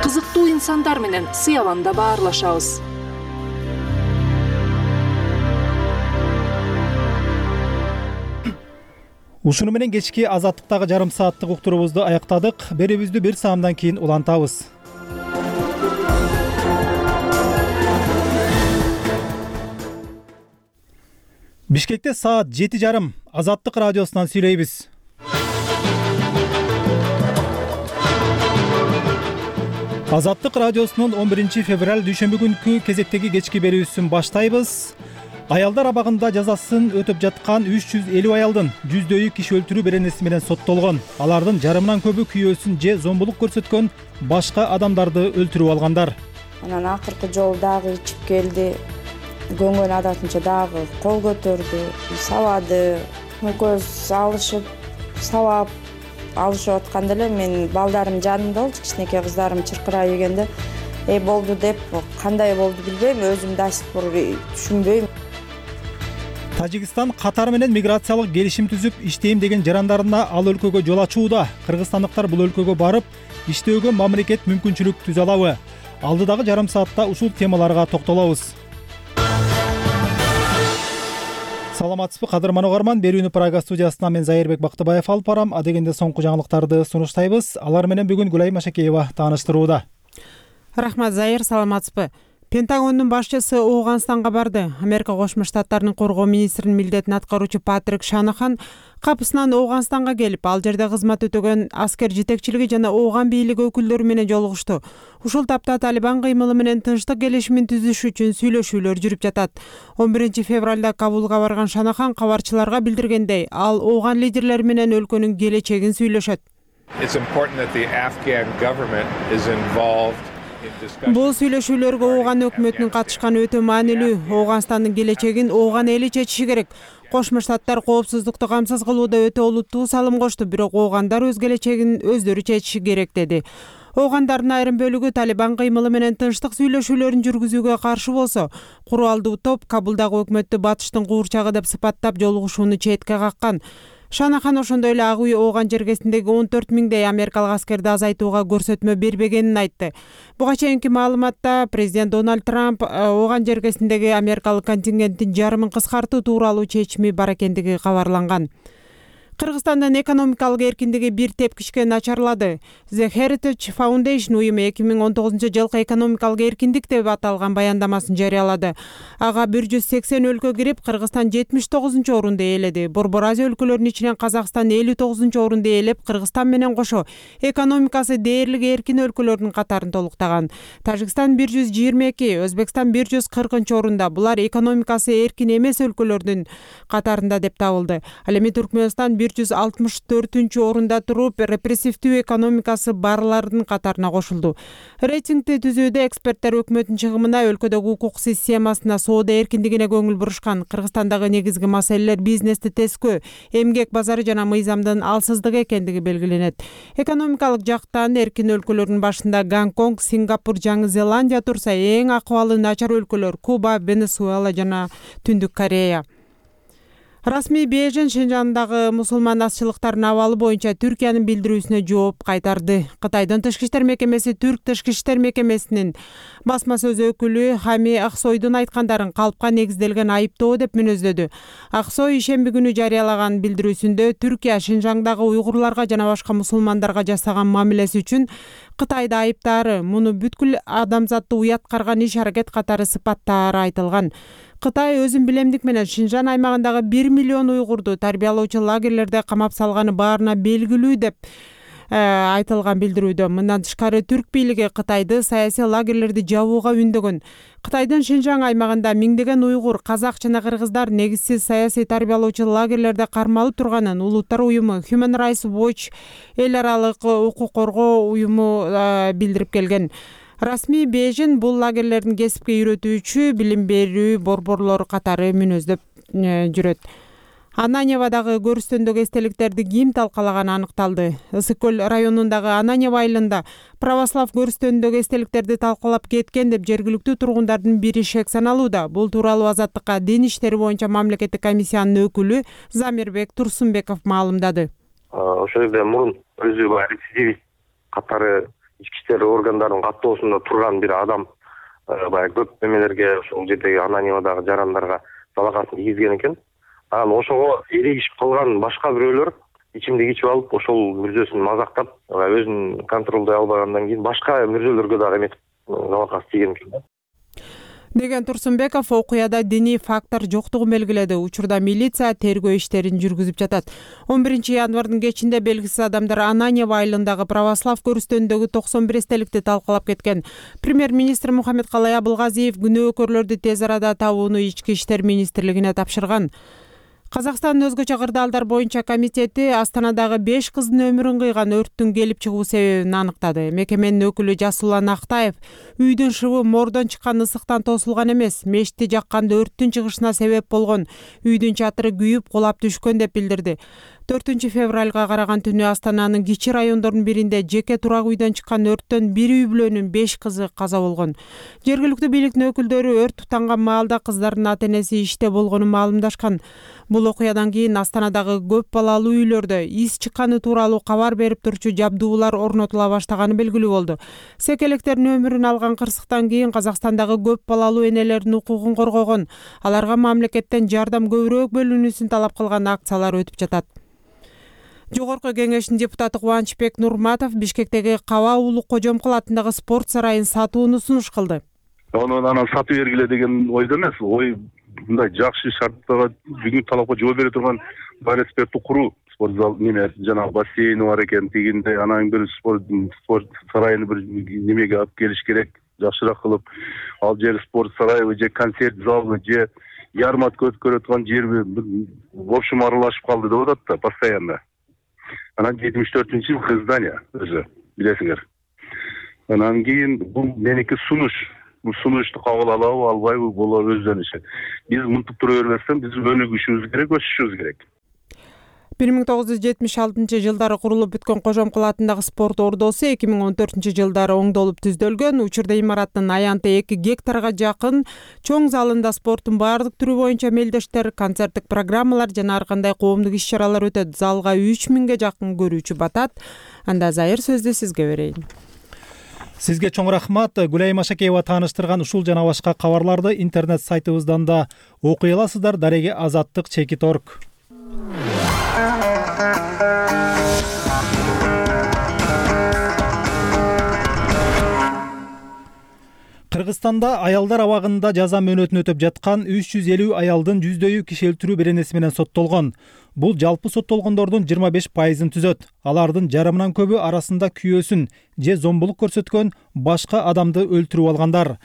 Кызыктуу инсандар менен Сыяванда баарлашабыз. Ушуну менен кечки Азаттыктагы жарым сааттык уктуруубузду аяктадык. Берүүбүздү бир саамдан кийин улантабыз. Бишкекте саат жети жарым. Азаттык радиосунан сүйлөйбүз. Азаттык радиосунун он биринчи февраль дүйшөмбү күнкү кезектеги кечки берүүсүн баштайбыз. Аялдар абагында жазасын өтөп жаткан үч жүз элүү аялдын жүздөйү киши өлтүрүү беренеси менен соттолгон. Алардын жарымынан көбү күйөөсүн же зомбулук көрсөткөн, башка адамдарды өлтүрүп алгандар. Анан акыркы жолу дагы ичип келди. Көнгөн адатынча дагы кол көтөрдү, сабады. Экөөбүз алышып, сабап алышып атканда эле мен балдарым жанымда болчу, кичинекей кыздарым чыркырай бергенде, "Эй болду" деп, кандай болду билбейм, өзүм да сыпыр түшүнбөйм. Тажикстан Катар менен миграциялык келишим түзүп иштейм деген жарандарына ал өлкөгө жол ачууда. Кыргызстандыктар бул өлкөгө барып, иштөөгө мамлекет мүмкүнчүлүк түзө алабы? Алдыдагы жарым саатта ушул темаларга токтолобуз. Саламатсызбы кадырман угарман, берүүнү Прага студиясынан мен Зайырбек Бактыбаев алып барам. Адегенде соңку жаңылыктарды сунуштайбыз. Алар менен бүгүн Гүлай Машакеева тааныштырууда. Рахмат Зайыр, саламатсызбы? Пентагондун башчысы Ооганстанга барды. Америка Кошмо Штаттарынын коргоо министринин милдетин аткаруучу Патрик Шанахан капысынан Ооганстанга келип, ал жерде кызмат өтөгөн аскер жетекчилиги жана Ооган бийлиги өкүлдөрү менен жолугушту. Ушул тапта Талибан кыймылы менен тынчтык келишимин түзүш үчүн сүйлөшүүлөр жүрүп жатат. он биринчи февралда Кабулга барган Шанахан кабарчыларга билдиргендей, ал Ооган лидерлери менен өлкөнүн келечегин сүйлөшөт. Бул сүйлөшүүлөргө Ооган өкмөтүнүн катышканы өтө маанилүү. Ооганстандын келечегин Ооган эли чечиши керек. Кошмо Штаттар коопсуздукту камсыз кылууда өтө олуттуу салым кошту, бирок Оогандар өз келечегин өздөрү чечиши керек деди. Оогандардын айрым бөлүгү Талибан кыймылы менен тынчтык сүйлөшүүлөрүн жүргүзүүгө каршы болсо, куралдуу топ Кабулдагы өкмөттү батыштын куурчагы деп сыпаттап жолугушууну четке каккан. Шанахан ошондой эле Ак үй Ооган жергесиндеги он төрт миңдей америкалык аскерди азайтууга көрсөтмө бербегенин айтты. Буга чейинки маалыматта президент Дональд Трамп Ооган жергесиндеги америкалык контингенттин жарымын кыскартуу тууралуу чечими бар экендиги кабарланган. Кыргызстандын экономикалык эркиндиги бир тепкичке начарлады. The Heritage Foundation уюму эки миң он тогузунчу жылкы экономикалык эркиндик деп аталган баяндамасын жарыялады. Ага бир жүз сексен өлкө кирип, Кыргызстан жетимиш тогузунчу орунду ээледи. Борбор Азия өлкөлөрүнүн ичинен Казакстан элүү тогузунчу орунду ээлеп, Кыргызстан менен кошо экономикасы дээрлик эркин өлкөлөрдүн катарын толуктаган. Тажикстан бир жүз жыйырма эки, Өзбекстан бир жүз кыркынчы орунда. Булар экономикасы эркин эмес өлкөлөрдүн катарында деп табылды. Ал эми Түркмөнстан бир жүз алтымыш төртүнчү орунда туруп, репрессивдүү экономикасы барлардын катарына кошулду. Рейтингди түзүүдө эксперттер өкмөттүн чыгымына, өлкөдөгү укук системасына, соода эркиндигине көңүл бурушкан. Кыргызстандагы негизги маселелер бизнести тескөө, эмгек базары жана мыйзамдын алсыздыгы экендиги белгиленет. Экономикалык жактан эркин өлкөлөрдүн башында Гонконг, Сингапур, Жаңы Зеландия турса, эң акыбалы начар өлкөлөр Куба, Венесуэла жана Түндүк Корея. Расмий Бейжин Шинжандагы мусулман азчылыктарынын абалы боюнча Түркиянын билдирүүсүнө жооп кайтарды. Кытайдын тышкы иштер мекемеси Түрк тышкы иштер мекемесинин басма сөз өкүлү Хами Аксойдун айткандарын калпка негизделген айыптоо деп мүнөздөдү. Аксой ишемби күнү жарыялаган билдирүүсүндө Түркия Шинжаңдагы уйгурларга жана башка мусулмандарга жасаган мамилеси үчүн Кытайда айыптаары, муну бүткүл адамзатты уят карган иш аракет катары сыпаттаары айтылган. Кытай өзүн билемдик менен Шинжан аймагындагы бир миллион уйгурду тарбиялоочу лагерлерде камап салганы баарына белгилүү деп айтылган билдирүүдө. Мындан тышкары түрк бийлиги Кытайды саясий лагерлерди жабууга үндөгөн. Кытайдын Шинжаң аймагында миңдеген уйгур, казак жана кыргыздар негизсиз саясий тарбиялоочу лагерлерде кармалып турганын Улуттар уюму Human Rights Watch эл аралык укук коргоо уюму билдирип келген. Расмий Бейжин бул лагерлердин кесипке үйрөтүүчү, билим берүү борборлору катары мүнөздөп жүрөт. Ананьевадагы көрүстөндөгү эстеликтерди ким талкалаганы аныкталды. Ысык көл районундагы Ананьева айылында православ көрүстөндөгү эстеликтерди талкалап кеткен деп жергиликтүү тургундардын бири шек саналууда. Бул тууралуу Азаттыкка дин иштери боюнча мамлекеттик комиссиянын өкүлү Замирбек Турсунбеков маалымдады. Ошол жерде мурун өзү баягы рецидивист катары ички иштер органдарынын каттоосунда турган бир адам баягы көп эмелерге ошол жердеги Ананьевадагы жарандарга залакасын тийгизген экен. Анан ошого эрегишип калган башка бирөөлөр ичимдик ичип алып, ошол мүрзөсүн мазактап, өзүн контролдой албагандан кийин башка мүрзөлөргө дагы эметип залакасы тийген экен. Деген Турсунбеков окуяда диний фактор жоктугун белгиледи. Учурда милиция тергөө иштерин жүргүзүп жатат. он биринчи январдын кечинде белгисиз адамдар Ананьева айылындагы православ көрүстөндөгү токсон бир эстеликти талкалап кеткен. Премьер-министр Мухаммедкалай Абылгазиев күнөөкөрлөрдү тез арада табууну ички иштер министрлигине тапшырган. Казакстандын өзгөчө кырдаалдар боюнча комитети Астанадагы беш кыздын өмүрүн кыйган өрттүн келип чыгуу себебин аныктады. Мекеменин өкүлү Жасулан Актаев үйдүн шыбы мордон чыккан ысыктан тосулган эмес, мешти жакканда өрттүн чыгышына себеп болгон. Үйдүн чатыры күйүп, кулап түшкөн деп билдирди. төртүнчү февралга караган түнү Астананын кичи райондорунун биринде жеке турак үйдөн чыккан өрттөн бир үй бүлөнүн беш кызы каза болгон. Жергиликтүү бийликтин өкүлдөрү өрт тутанган маалда кыздардын ата-энеси иште болгонун маалымдашкан. Бул окуядан кийин Астанадагы көп балалуу үйлөрдө из чыкканы тууралуу кабар берип турчу жабдуулар орнотула баштаганы белгилүү болду. Секелектердин өмүрүн алган кырсыктан кийин Казакстандагы көп балалуу энелердин укугун коргогон, аларга мамлекеттен жардам көбүрөөк бөлүнүүсүн талап кылган акциялар өтүп жатат. Жогорку кеңештин депутаты Кубанычбек Нурматов Бишкектеги Каба Улук Кожомкул атындагы спорт сарайын сатууну сунуш кылды. Ону анан сатып бергиле деген ойдо эмес, ой мындай жакшы шарттарга бүгүнкү талапка жооп бере турган бар спортту куруу. Спорт зал неме жанагы бассейни бар экен, тигинде анан бир спорт спорт сарайын бир немеге алып келиш керек, жакшыраак кылып. Ал жер спорт сарайы же концерт залы же ярмарка өткөрө турган жерби в общем аралашып калды деп атат да постоянно. Анан жетимиш төртүнчү жыл здание өзү билесиңер. Анан кийин бул меники сунуш. Бул сунушту кабыл алабы, албайбы бул өздөрүнүн иши. Биз мынтип тура бербестен биз өнүгүшүбүз керек, өсүшүбүз керек. бир миң тогуз жүз жетимиш алтынчы жылдары курулуп бүткөн Кожомкул атындагы спорт ордосу эки миң он төртүнчү жылдары оңдолуп түздөлгөн. Учурда имараттын аянты эки гектарга жакын чоң залында спорттун баардык түрү боюнча мелдештер, концерттик программалар жана ар кандай коомдук иш-чаралар өтөт. Залга үч миңге жакын көрүүчү батат. Анда Зайыр сөздү сизге берейин. Сизге чоң рахмат. Гүлайым Ашакеева тааныштырган ушул жана башка кабарларды интернет сайтыбыздан да окуй аласыздар. Дареге Азаттык чекит точка орг. Кыргызстанда аялдар абагында жаза мөөнөтүн өтөп жаткан үч жүз элүү аялдын жүздөөү киши өлтүрүү беренеси менен соттолгон. Бул жалпы соттолгондордун жыйырма беш пайызын түзөт. Алардын жарымынан көбү арасында күйөөсүн же зомбулук көрсөткөн башка адамды өлтүрүп алгандар.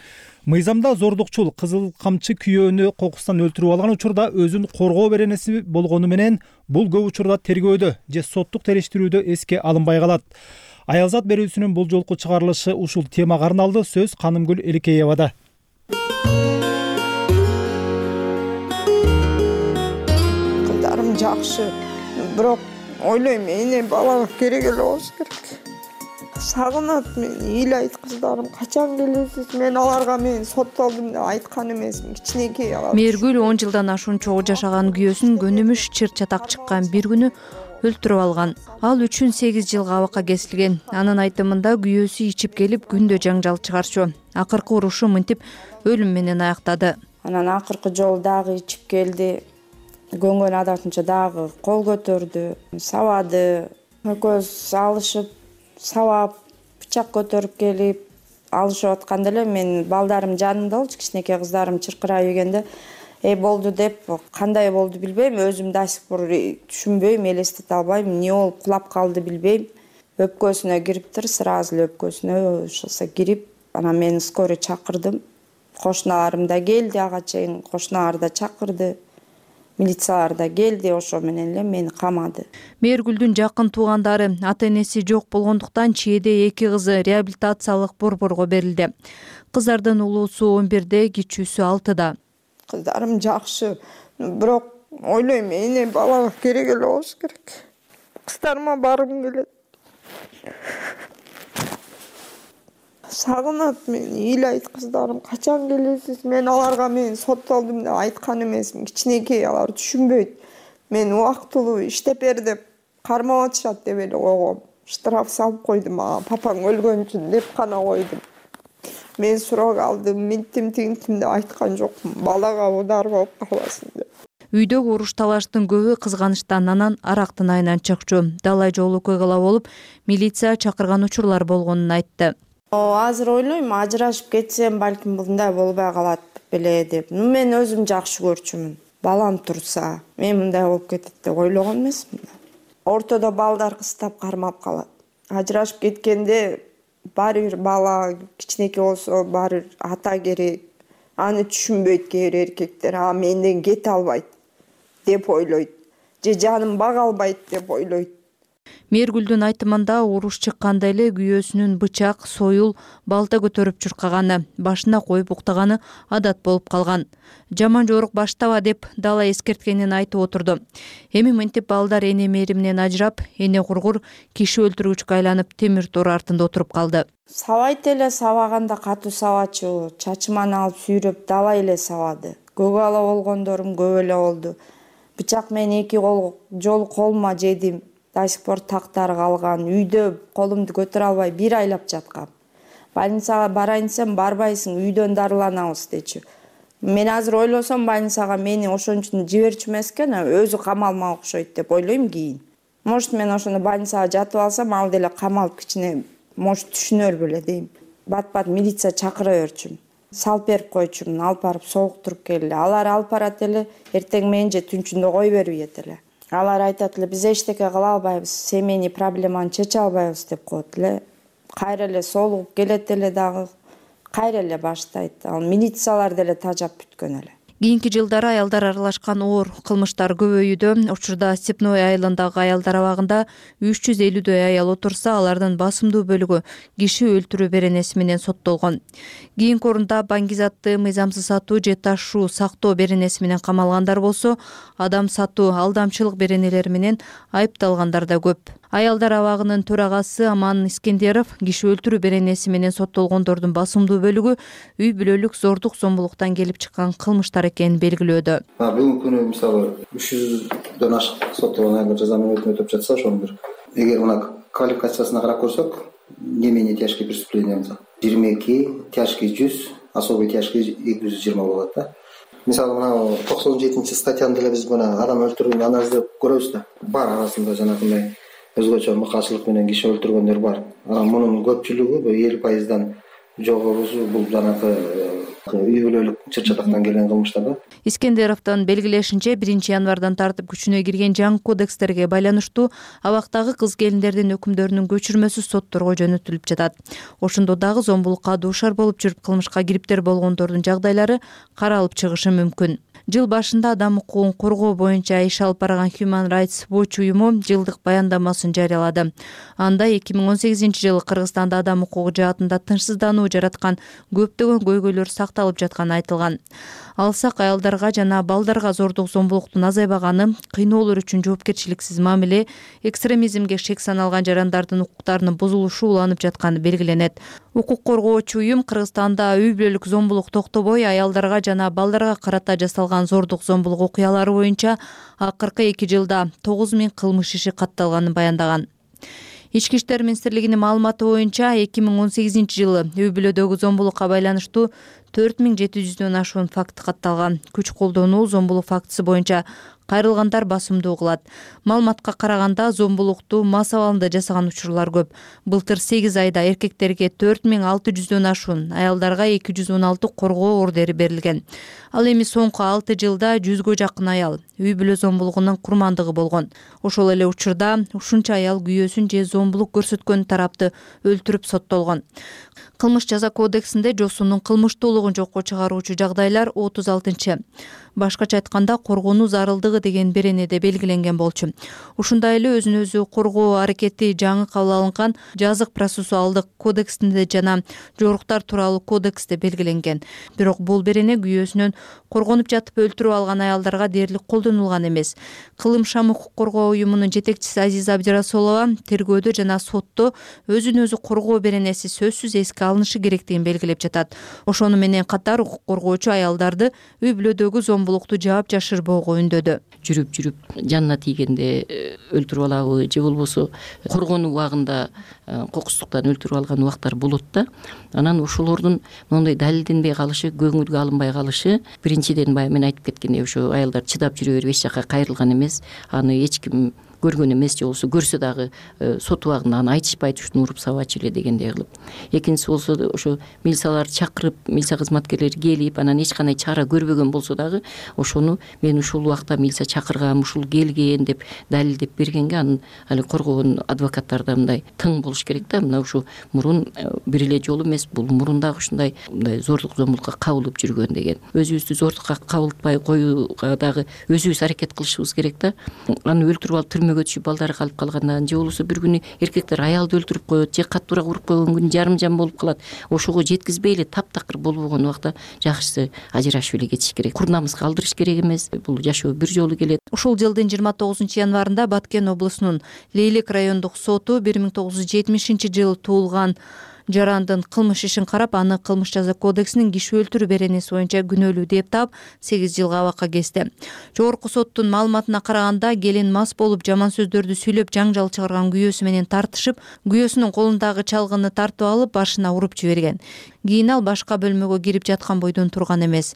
Мыйзамда зордукчул кызыл камчы күйөөнү кокустан өлтүрүп алган учурда өзүн коргоо беренеси болгону менен бул көп учурда тергөөдө же соттук териштирүүдө эске алынбай калат. Аялзат берүүсүнүн бул жолку чыгарылышы ушул темага арналды. Сөз Канымгүл Эликеевада. Кыздарым жакшы, бирок ойлойм, эне балага керек эле болуш керек. Сагынат мени, ыйлайт кыздарым, качан келесиз? Мен аларга мен соттолдум деп айткан эмесмин, кичинекей алар. Мээргүл он жылдан ашуун чогуу жашаган күйөөсүн көнүмүш чыр чатак чыккан бир күнү өлтүрүп алган. Ал үчүн сегиз жылга абакка кесилген. Анын айтымында күйөөсү ичип келип күндө жаңжал чыгарчу. Акыркы урушу мынтип өлүм менен аяктады. Анан акыркы жолу дагы ичип келди. Көнгөн адатынча дагы кол көтөрдү, сабады. Экөөбүз алышып, сабап, бычак көтөрүп келип алышып атканда эле мен балдарым жанымда болчу, кичинекей кыздарым чыркырап ийгенде Эй болду деп, кандай болду билбейм, өзүм да сих пор түшүнбөйм, элестете албайм, эмне болуп кулап калды билбейм. өпкөсүнө кириптир, сразу эле өпкөсүнө ошосо кирип, анан мен скорый чакырдым. Кошуналарым да келди, ага чейин кошуналар да чакырды. Милициялар да келди, ошо менен эле мени камады. Мээргүлдүн жакын туугандары ата-энеси жок болгондуктан чээде эки кызы реабилитациялык борборго берилди. Кыздардын улуусу он бирде, кичүүсү алтыда. Кыздарым жакшы, бирок ойлойм, эне балага керек эле болуш керек. Кыздарыма баргым келет. Сагынат мени, ыйлайт кыздарым, качан келесиз? Мен аларга мен соттолдум деп айткан эмесмин. Кичинекей, алар түшүнбөйт. Мен убактылуу иштеп бер деп кармап атышат деп эле койгом. Штраф салып койду мага, папаң өлгөн үчүн деп гана койдум. Мен сурак алдым, минтим тигинтим деп айткан жокмун. Балага удар болуп калбасын деп. Үйдөгү уруш талаштын көбү кызганычтан, анан арактын айынан чыкчу. Далай жол окуялар болуп, милиция чакырган учурлар болгонун айтты. Азыр ойлойм, ажырашып кетсем, балким мындай болбой калат беле деп. Мен өзүм жакшы көрчүмүн. Балам турса, мен мындай болуп кетет деп ойлогон эмесмин. Ортодо балдар кыстап кармап калат. Ажырашып кеткенде баары бир бала кичинекей болсо, баары бир ата керек. Аны түшүнбөйт кээ бир эркектер, а менден кете албайт деп ойлойт. Же жаным бага албайт деп ойлойт. Мээргүлдүн айтымында уруш чыкканда эле күйөөсүнүн бычак, союл, балта көтөрүп чуркаганы, башына коюп уктаганы адат болуп калган. Жаман жорук баштаба деп Дала эскерткенин айтып отурду. Эми мынтип балдар эне мээриминен ажырап, эне кургур киши өлтүргүчкө айланып темир тор артында отуруп калды. Сабайт эле, сабаганда катуу сабачу, чачыман алып сүйрөп далай эле сабады. Көк ала болгондорум көп эле болду. Бычак менен эки кол жол колума жедим. До сих пор тактары калган. Үйдө колумду көтөрө албай бир айлап жаткам. Больницага барайын десем, барбайсың, үйдөн дарыланабыз дечү. Мен азыр ойлосом, больницага мени ошон үчүн жиберчү эмес экен, өзү камалмак окшойт деп ойлойм кийин. Может, мен ошондо больницага жатып алсам, ал деле камалып кичине, может, түшүнөр беле дейм. Бат-бат милиция чакыра берчүмүн. Салып берип койчумун, алып барып согуктуруп келди. Алар алып барат эле, эртең менен же түнчүндө кой бербейт эле. Алар айтат эле, биз эчтеке кыла албайбыз, семейный проблеманы чече албайбыз деп коет эле. Кайра эле соолугуп келет эле дагы, кайра эле баштайт. Ал милициялар деле тажап бүткөн эле. Кийинки жылдары аялдар аралашкан оор кылмыштар көбөйүүдө. Учурда Степной айылындагы аялдар абагында үч жүз элүүдөй аял отурса, алардын басымдуу бөлүгү киши өлтүрүү беренеси менен соттолгон. Кийинки орунда баңгизатты, мыйзамсыз сатуу же ташуу, сактоо беренеси менен камалгандар болсо, адам сатуу, алдамчылык беренелери менен айыпталгандар да көп. Аялдар абагынын төрагасы Аман Искендеров киши өлтүрүү беренеси менен соттолгондордун басымдуу бөлүгү үй бүлөлүк зордук зомбулуктан келип чыккан кылмыштар экенин белгилөөдө. Бүгүнкү күнү мисалы үч жүздөн ашык соттолгон аялдар жазанын өтүнүп өтүп жатса, ошонун бир эгер мына квалификациясына карап көрсөк, не менее тяжкие преступления жыйырма эки, тяжкий жүз, особый тяжкий эки жүз жыйырма болот да. Мисалы мына токсон жетинчи статьяны деле биз мына адам өлтүрүүнү анализдеп көрөбүз да. Бар арасында жанагындай өзгөчө мыкаачылык менен киши өлтүргөндөр бар. Анан мунун көпчүлүгү элүү пайыздан жогорусу бул жанагы үй бүлөлүк чыр-чатактан келген кылмыштар да. Искендеровдун белгилешинче, биринчи январдан тартып күчүнө кирген жаңы кодекстерге байланыштуу абактагы кыз келиндердин өкүмдөрүнүн көчүрмөсү сотторго жөнөтүлүп жатат. Ошондо дагы зомбулукка дуушар болуп жүрүп кылмышка кириптер болгондордун жагдайлары каралып чыгышы мүмкүн. Жыл башында адам укугун коргоо боюнча иш алып барган Human Rights Watch уюму жылдык баяндамасын жарыялады. Анда эки миң он сегизинчи жылы Кыргызстанда адам укугу жаатында тынчсыздануу жараткан көптөгөн көйгөйлөр сакталып жатканы айтылган. Алсак, аялдарга жана балдарга зордук зомбулуктун азайбаганы, кыйноолор үчүн жоопкерчиликсиз мамиле, экстремизмге шек саналган жарандардын укуктарынын бузулушу уланып жатканы белгиленет. Укук коргоочу уюм Кыргызстанда үй бүлөлүк зомбулук токтобой, аялдарга жана балдарга карата жасалган зордук зомбулук окуялары боюнча акыркы эки жылда тогуз миң кылмыш иши катталганын баяндаган. Ички иштер министрлигинин маалыматы боюнча эки миң он сегизинчи жылы үй бүлөдөгү зомбулукка байланыштуу төрт миң жети жүздөн ашуун факт катталган. Күч колдонуу, зомбулук фактысы боюнча кайрылгандар басымдуу кылат. Маалыматка караганда зомбулукту мас абалында жасаган учурлар көп. Былтыр сегиз айда эркектерге төрт миң алты жүздөн ашуун, аялдарга эки жүз он алты коргоо ордери берилген. Ал эми соңку алты жылда жүзгө жакын аял үй бүлө зомбулугунун курмандыгы болгон. Ошол эле учурда ушунча аял күйөөсүн же зомбулук көрсөткөн тарапты өлтүрүп соттолгон. Кылмыш жаза кодексинде жосунун кылмыштуулугун жокко чыгаруучу жагдайлар отуз алтынчы. Башкача айтканда коргонуу зарылдыгы деген беренеде белгиленген болчу. Ушундай эле өзүн өзү коргоо аракети жаңы кабыл алынган жазык процессуалдык кодексинде жана жоруктар тууралуу кодексте белгиленген. Бирок бул берене күйөөсүнөн коргонуп жатып өлтүрүп алган аялдарга дээрлик колдонулган эмес. Кылым шам укук коргоо уюмунун жетекчиси Азиза Абдирасулова тергөөдө жана сотто өзүн өзү коргоо беренеси сөзсүз эске алынышы керектигин белгилеп жатат. Ошону менен катар укук коргоочу аялдарды үй бүлөдөгү зомбулукту жаап жашырбоого үндөдү. Жүрүп жүрүп жанына тийгенде өлтүрүп алабы же болбосо коргонуу убагында кокустуктан өлтүрүп алган убактар болот да. Анан ошолордун моундай далилденбей калышы, көңүлгө алынбай калышы, биринчиден баягы мен айтып кеткендей ошо аялдар чыдап жүрө берип эч жака кайрылган эмес. Аны эч ким көргөн эмес, же болбосо көрсө дагы сот убагында аны айтышпайт, ушуну уруп сабачу эле дегендей кылып. Экинчиси болсо ошо милицияларды чакырып, милиция кызматкерлери келип, анан эч кандай чара көрбөгөн болсо дагы ошону мен ушул убакта милиция чакыргам, ушул келген деп далилдеп бергенге анын али коргогон адвокаттар да мындай тың болуш керек да. Мына ушу мурун бир эле жолу эмес, бул мурун дагы ушундай мындай зордук зомбулукка кабылып жүргөн деген. Өзүбүздү зордукка кабылтпай коюуга дагы өзүбүз аракет кылышыбыз керек да. Аны өлтүрүп алып түрмөгө түшүп балдары калып калгандан, же болбосо бир күнү эркектер аялды өлтүрүп коет, же каттуураак уруп койгон күнү жарым жан болуп калат. Ошого жеткизбей эле таптакыр болбогон убакта жакшысы ажырашып эле кетиш керек. Курнамызга калдырыш керек эмес. Бул жашоо бир жолу келет. Ушул жылдын жыйырма тогузунчу январында Баткен облусунун Лейлек райондук соту бир миң тогуз жүз жетимишинчи жылы туулган жарандын кылмыш ишин карап, аны кылмыш жаза кодексинин киши өлтүрүү беренеси боюнча күнөөлүү деп таап сегиз жылга абакка кести. Жогорку соттун маалыматына караганда, келин мас болуп жаман сөздөрдү сүйлөп жаңжал чыгарган күйөөсү менен тартышып, күйөөсүнүн колундагы чалгыны тартып алып, башына уруп жиберген. Кийин ал башка бөлмөгө кирип жаткан бойдон турган эмес.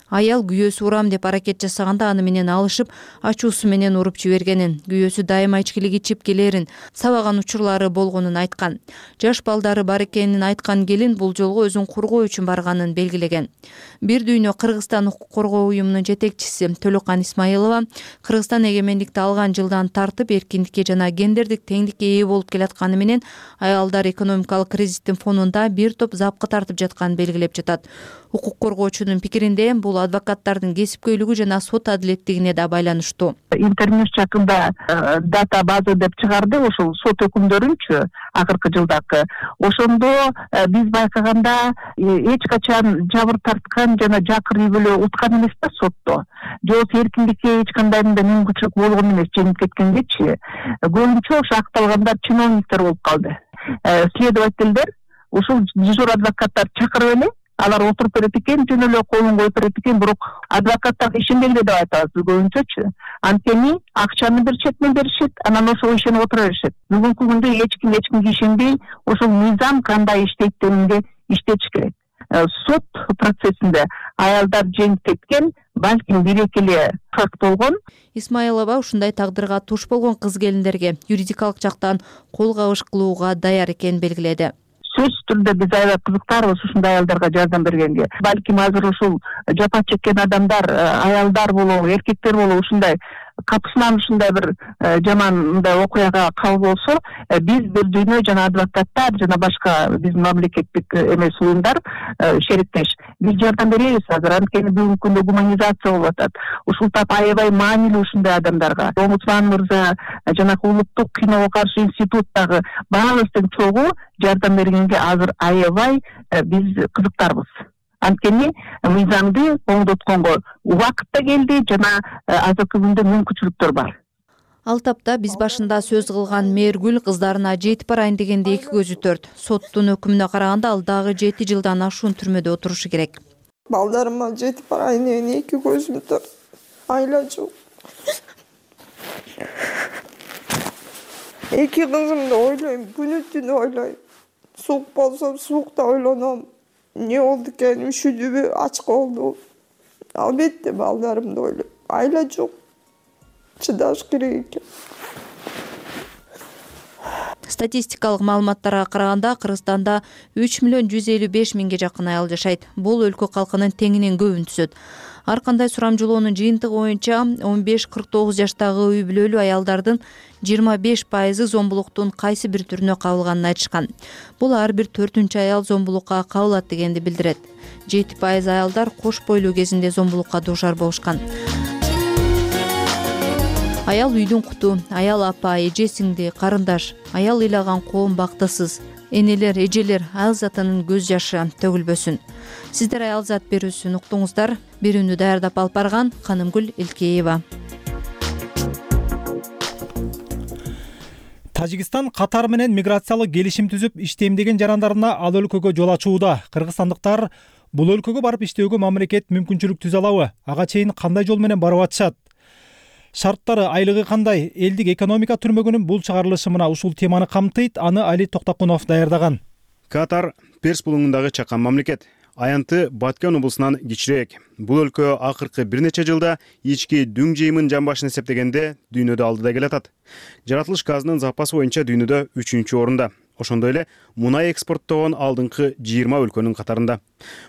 Аял күйөөсү урам деп аракет жасаганда аны менен алышып, ачуусу менен уруп жибергенин, күйөөсү дайыма ичкилик ичип келерин, сабаган учурлары болгонун айткан. Жаш балдары бар экенин айткан келин бул жолго өзүн коргоо үчүн барганын белгилеген. Бир дүйнө Кыргызстан укук коргоо уюмунун жетекчиси Төлөкан Исмаилова Кыргызстан эгемендикти алган жылдан тартып эркиндикке жана гендердик теңдикке ээ болуп келатканы менен аялдар экономикалык кризистин фонунда бир топ запкы тартып жатканын белгилеп жатат. Укук коргоочунун пикиринде бул адвокаттардын кесипкөйлүгү жана сот адилеттигине да байланыштуу. Интернет жакында дата база деп чыгарды, ошол сот өкүмдөрүнчү акыркы жылдакы. Ошондо биз байкаганда эч качан жабыр тарткан жана жакыр үй бүлө уткан эмес да сотто. Же болбосо эркиндикке эч кандай мүмкүнчүлүк болгон эмес, жеңип кеткенгечи. Көбүнчө ошо акталгандар чиновниктер болуп калды. Следовательдер, ушул дежур адвокаттар чакырып эле алар отуруп берет экен, жөн эле колун коюп берет экен, бирок адвокаттар ишенбейли деп айтабыз биз көбүнчөчү. Анткени акчаны беришет, мен беришет, анан ошого ишенип отура беришет. Бүгүнкү күндө эч ким эч кимге ишенбей, ошол мыйзам кандай иштейт дегенге иштетиш керек. Сот процессинде аялдар жеңип кеткен, балким бир-эки эле факт болгон. Исмаилова ушундай тагдырга туш болгон кыз келиндерге юридикалык жактан кол кабыш кылууга даяр экенин белгиледи. Сөзсүз түрдө биз аябай кызыктарбыз ушундай аялдарга жардам бергенге. Балким азыр ушул жапа чеккен адамдар, аялдар болобу, эркектер болобу ушундай капысынан ушундай бир жаман мындай окуяга кабыл болсо, биз бир дүйнө жана адвокаттар жана башка биздин мамлекеттик эмес уюмдар шериктеш, биз жардам беребиз азыр. Анткени бүгүнкү күндө гуманизация болуп атат. Ушул тап аябай маанилүү ушундай адамдарга. Омбудсман мырза жанагы улуттук киного каршы институттагы баабыздын чогуу жардам бергенге азыр аябай биз кызыктарбыз. Анткени мыйзамды оңдотконго убакыт да келди жана азыркы күндө мүмкүнчүлүктөр бар. Ал тапта биз башында сөз кылган Мээргүл кыздарына жетип барайын дегенде эки көзү төрт. Соттун өкүмүнө караганда ал дагы жети жылдан ашуун түрмөдө отурушу керек. Балдарыма жетип барайын дегенде эки көзүм төрт. Айла жок. Эки кызымды ойлойм, күнү түнү ойлойм. Суук болсо суукта ойлоном. эмне болду экен, үшүдүбү, ач болду. Албетте балдарымды ойлойм. Айла жок. Чыдаш керек экен. Статистикалык маалыматтарга караганда Кыргызстанда үч миллион жүз элүү беш миңге жакын аял жашайт. Бул өлкө калкынын теңинен көбүн түзөт. Ар кандай сурамжылоонун жыйынтыгы боюнча он беш кырк тогуз жаштагы үй бүлөлүү аялдардын жыйырма беш пайызы зомбулуктун кайсы бир түрүнө кабылганын айтышкан. Бул ар бир төртүнчү аял зомбулукка кабылат дегенди билдирет. жети пайыз аялдар кош бойлуу кезинде зомбулукка дуушар болушкан. Аял үйдүн куту, аял апа, эже сиңди, карындаш, аял ыйлаган коом бактысыз. Энелер, эжелер аял затынын көз жашы төгүлбөсүн. Сиздер аял зат берүүсүн уктуңуздар. Берүүнү даярдап алып барган Канымгүл Илкеева. Тажикстан Катар менен миграциялык келишим түзүп иштемдеген жарандарына ал өлкөгө жол ачууда. Кыргызстандыктар бул өлкөгө барып иштөөгө мамлекет мүмкүнчүлүк түзө алабы? Ага чейин кандай жол менен барып атышат? Шарттары, айлыгы кандай? Элдик экономика түрмөгүнүн бул чыгарылышы мына ушул теманы камтыйт. Аны Али Токтокунов даярдаган. Катар Перс булуңундагы чакан мамлекет. Аянты Баткен облусунан кичирээк. Бул өлкө акыркы бир нече жылда ички дүң жыйымын жан башына эсептегенде дүйнөдө алдыда келатат. Жаратылыш газынын запасы боюнча дүйнөдө үчүнчү орунда. Ошондой эле мунай экспорттогон алдыңкы жыйырма өлкөнүн катарында.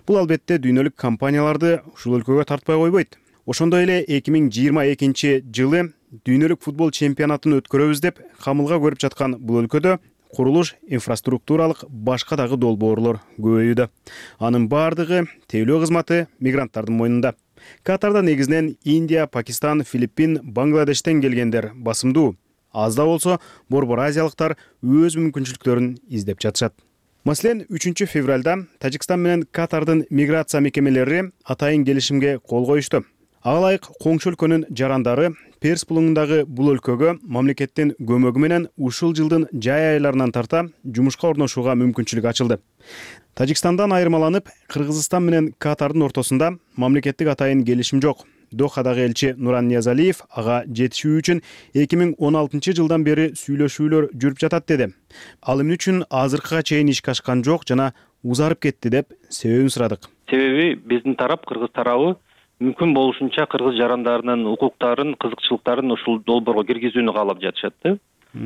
Бул албетте дүйнөлүк компанияларды ушул өлкөгө тартпай койбойт. Ошондой эле эки миң жыйырма экинчи жылы дүйнөлүк футбол чемпионатын өткөрөбүз деп камылга көрүп жаткан бул өлкөдө курулуш, инфраструктуралык башка дагы долбоорлор көбөйүүдө. Анын бардыгы тейлөө кызматы мигранттардын мойнунда. Катарда негизинен Индия, Пакистан, Филиппин, Бангладештен келгендер басымдуу. Аз да болсо борбор азиялыктар өз мүмкүнчүлүктөрүн издеп жатышат. Маселен, үчүнчү февралда Тажикстан менен Катардын миграция мекемелери атайын келишимге кол коюшту. Ага ылайык коңшу өлкөнүн жарандары Перс булуңундагы бул өлкөгө мамлекеттин көмөгү менен ушул жылдын жай айларынан тарта жумушка орношууга мүмкүнчүлүк ачылды. Тажикстандан айырмаланып, Кыргызстан менен Катардын ортосунда мамлекеттик атайын келишим жок. Дохадагы элчи Нуран Ниязалиев ага жетишүү үчүн эки миң он алтынчы жылдан бери сүйлөшүүлөр жүрүп жатат деди. Ал эмне үчүн азыркыга чейин ишке ашкан жок жана узарып кетти деп себебин сурадык. Себеби биздин тарап, Кыргыз тарабы мүмкүн болушунча кыргыз жарандарынын укуктарын, кызыкчылыктарын ушул долбоорго киргизүүнү каалап жатышат да.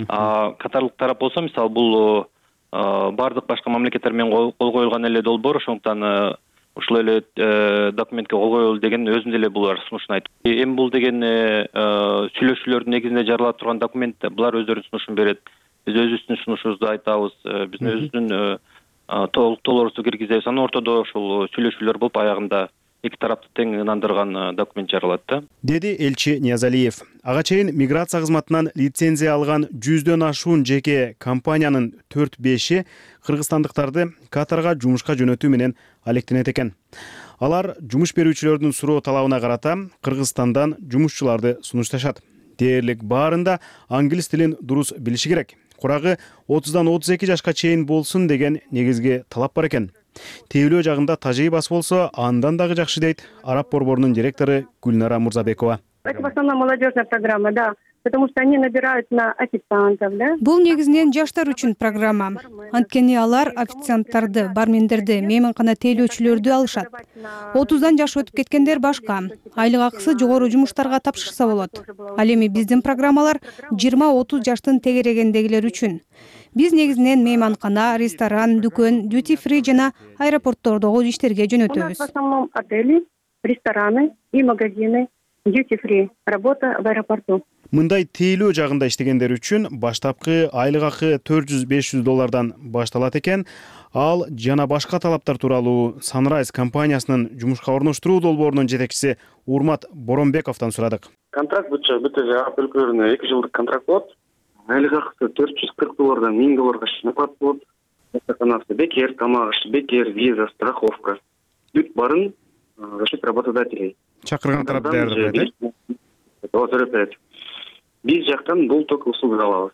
А катарлык тарап болсо, мисалы, бул бардык башка мамлекеттер менен кол коюлган эле долбоор, ошондуктан ушул эле документке кол коелу деген өзүнүн эле булар сунушун айтып. Эми бул деген сүйлөшүүлөрдүн негизинде жарыла турган документ, булар өздөрүнүн сунушун берет. Биз өзүбүздүн сунушубузду айтабыз, биздин өзүбүздүн толуктуулорубузду киргизебиз. Анын ортодо ушул сүйлөшүүлөр болуп аягында эки тарапты тең ынандырган документ жаралат да. Деди элчи Ниязалиев. Ага чейин миграция кызматынан лицензия алган жүздөн ашуун жеке компаниянын төрт беши кыргызстандыктарды Катарга жумушка жөнөтүү менен алектенет экен. Алар жумуш берүүчүлөрдүн суроо талабына карата Кыргызстандан жумушчуларды сунушташат. Дээрлик баарында англис тилин дурус билиши керек. Курагы отуздан отуз эки жашка чейин болсун деген негизги талап бар экен. Тейлөө жагында тажи бас болсо, андан дагы жакшы дейт Араб борборунун директору Гүлнара Мурзабекова. Это в основном молодежная программа, да. Потому что они набирают на официантов, да? Бул негизинен жаштар үчүн программа. Анткени алар официанттарды, бармендерди, мейманкана тейлөөчүлөрдү алышат. отуздан жаш өтүп кеткендер башка. Айлык акысы жогору жумуштарга тапшырса болот. Ал эми биздин программалар жыйырма отуз жаштын тегерегендегилер үчүн. Биз негизинен мейманкана, ресторан, дүкөн, duty free жана аэропорттордогу иштерге жөнөтөбүз. В основном отели, рестораны и магазины, duty free, работа в аэропорту. Мындай тейлөө жагында иштегендер үчүн баштапкы айлык акы төрт жүз беш жүз доллардан башталат экен. Ал жана башка талаптар тууралуу Sunrise компаниясынын жумушка орноштуруу долбоорунун жетекчиси Урмат Боронбековдон сурадык. Контракт бүтчү бүт Араб өлкөлөрүнө эки жылдык контракт болот. Айлык акысы төрт жүз кырк доллардан миң долларга чейин болот. Стационарсы бекер, тамак ашы бекер, виза, страховка. Бүт барын за счет работодателей. Чакырган тарап даярдайт. Ооба, биз жактан бул только услуга алабыз.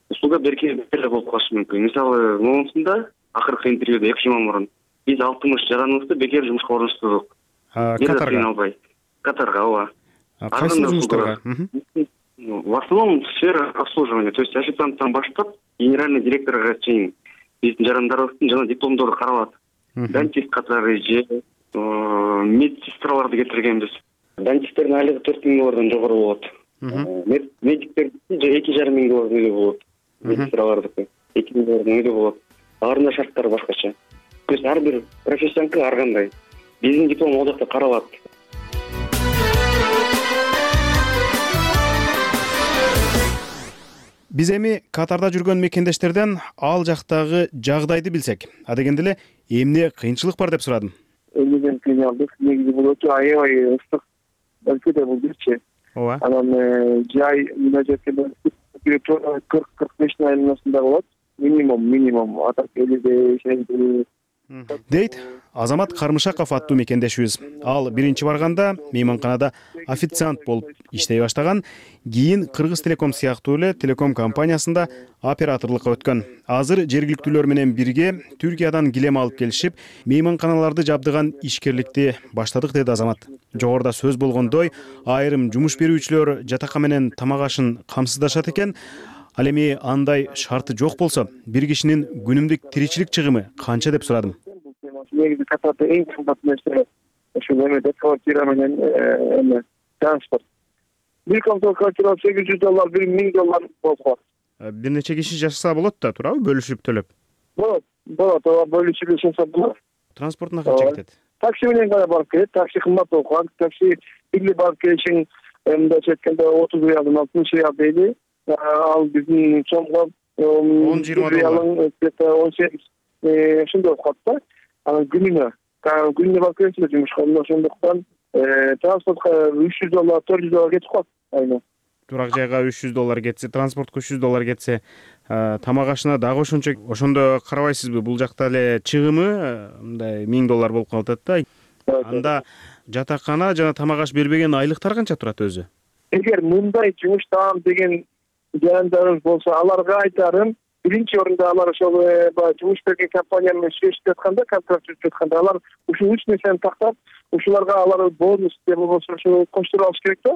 Услуга берке бекер болуп калышы мүмкүн. Мисалы, момусунда акыркы интервьюда эки жыл мурун биз алтымыш жараныбызды бекер жумушка орноштурдук. Катарга. Катарга, ооба. Кайсы жумуштарга? В основном сфера обслуживания, то есть официанттан баштап генеральный директорго чейин биздин жарандарыбыздын жана дипломдору каралат. дантист катары же медсестраларды кетиргенбиз. Дантисттердин айлыгы төрт миң доллардан жогору болот. Медиктер же эки жарым миң доллардан өйдө болот. Медсестралардыкы эки миң доллардан өйдө болот. Алардын да шарттары башкача. То есть ар бир профессияныкы ар кандай. Биздин диплом ал жакта каралат. Биз эми Катарда жүргөн мекендештерден ал жактагы жагдайды билсек, адегенде эле эмне кыйынчылык бар деп сурадым. Элден кыйналдык. Негизи бул өтө аябай ыстык өлкөдө бул бирчи. Ооба. Анан жай мына жерде кырк кырк бештин айланасында болот. Минимум, минимум атак элүү беш дейт Азамат Кармышаков аттуу мекендешибиз. Ал биринчи барганда мейманканада официант болуп иштей баштаган, кийин Кыргыз Телеком сыяктуу эле телеком компаниясында операторлукка өткөн. Азыр жергиликтүүлөр менен бирге Түркиядан килем алып келишип, мейманканаларды жабдыган ишкерликти баштадык, деди Азамат. Жогоруда сөз болгондой, айрым жумуш берүүчүлөр жатака менен тамак ашын камсыздашат экен. Ал эми андай шарты жок болсо, бир кишинин күнүмдүк тиричилик чыгымы канча деп сурадым. Негизи Катарда эң кымбат нерсе ушул эмеде квартира менен эме транспорт. Бир комнаталык квартира сегиз жүз доллар, бир миң доллар болуп калат. Бир нече киши жашаса болот да, туурабы? Бөлүшүп төлөп. Болот, болот, ооба, бөлүшүп жашаса болот. Транспортуна канча кетет? Такси менен гана барып келет, такси кымбат болуп калат. Такси бирге барып келишиң мындайча айтканда отуз реалдан алтымыш реал дейли. Ал биздин сомго он жыйырма доллар, где-то он сегиз ошондой болуп калат да. Анан күнүнө, күнүнө барып келесиз жумушка, ошондуктан транспортко үч жүз доллар, төрт жүз доллар кетип калат айына. Турак жайга үч жүз доллар кетсе, транспортко үч жүз доллар кетсе, тамак ашына дагы ошончо. Ошондо карабайсызбы, бул жакта эле чыгымы мындай миң доллар болуп калып атат да. Анда жатакана жана тамак аш бербеген айлыктар канча турат өзү? Эгер мындай жумуш таам деген жарандарыбыз болсо, аларга айтарым, биринчи орунда алар ошол жумуш берген компания менен сүйлөшүп жатканда, контракт түзүп жатканда, алар ушул үч нерсени тактап, ушуларга алар бонус же болбосо ошо коштуруп алыш керек да.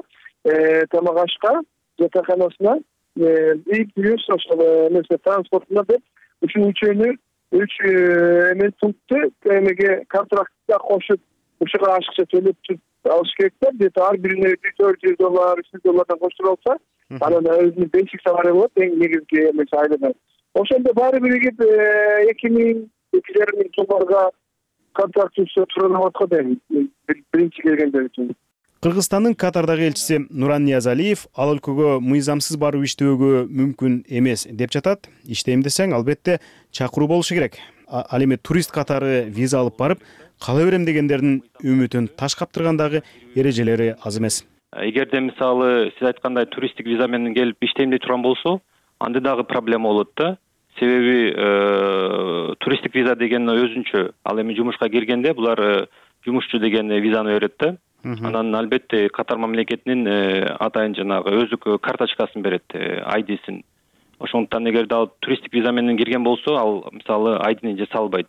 Тамак ашка, жатаканасына, и плюс ошол нерсе транспортуна деп, ушул үчөөнү үч эме пунктты эмеге контрактка кошуп, ушуга ашыкча төлөп алыш керек да. Где-то ар бирине төрт жүз доллар, үч жүз доллардан коштуруп алса, анан өзүнүн бенчик салары болот, эң негизги эмеси айлыгы. Ошондо баары биригип эки миң, эки жарым миң долларга контракт түзсө тура болот го дейм, биринчи келгендер үчүн. Кыргызстандын Катардагы элчиси Нуран Ниязалиев ал өлкөгө мыйзамсыз барып иштөөгө мүмкүн эмес деп жатат. Иштейм десең, албетте чакыруу болушу керек. Ал эми турист катары виза алып барып, кала берем дегендердин үмүтүн таш каптыргандагы эрежелери аз эмес. Эгерде мисалы сиз айткандай туристтик виза менен келип иштейм дей турган болсо, анда дагы проблема болот да. Себеби туристтик виза деген өзүнчө, ал эми жумушка киргенде булар жумушчу деген визаны берет да. Анан албетте Катар мамлекетинин атайын жанагы өздүк карточкасын берет, ай дисин. Ошондуктан эгерде ал туристтик виза менен кирген болсо, ал мисалы айдын жаса албайт.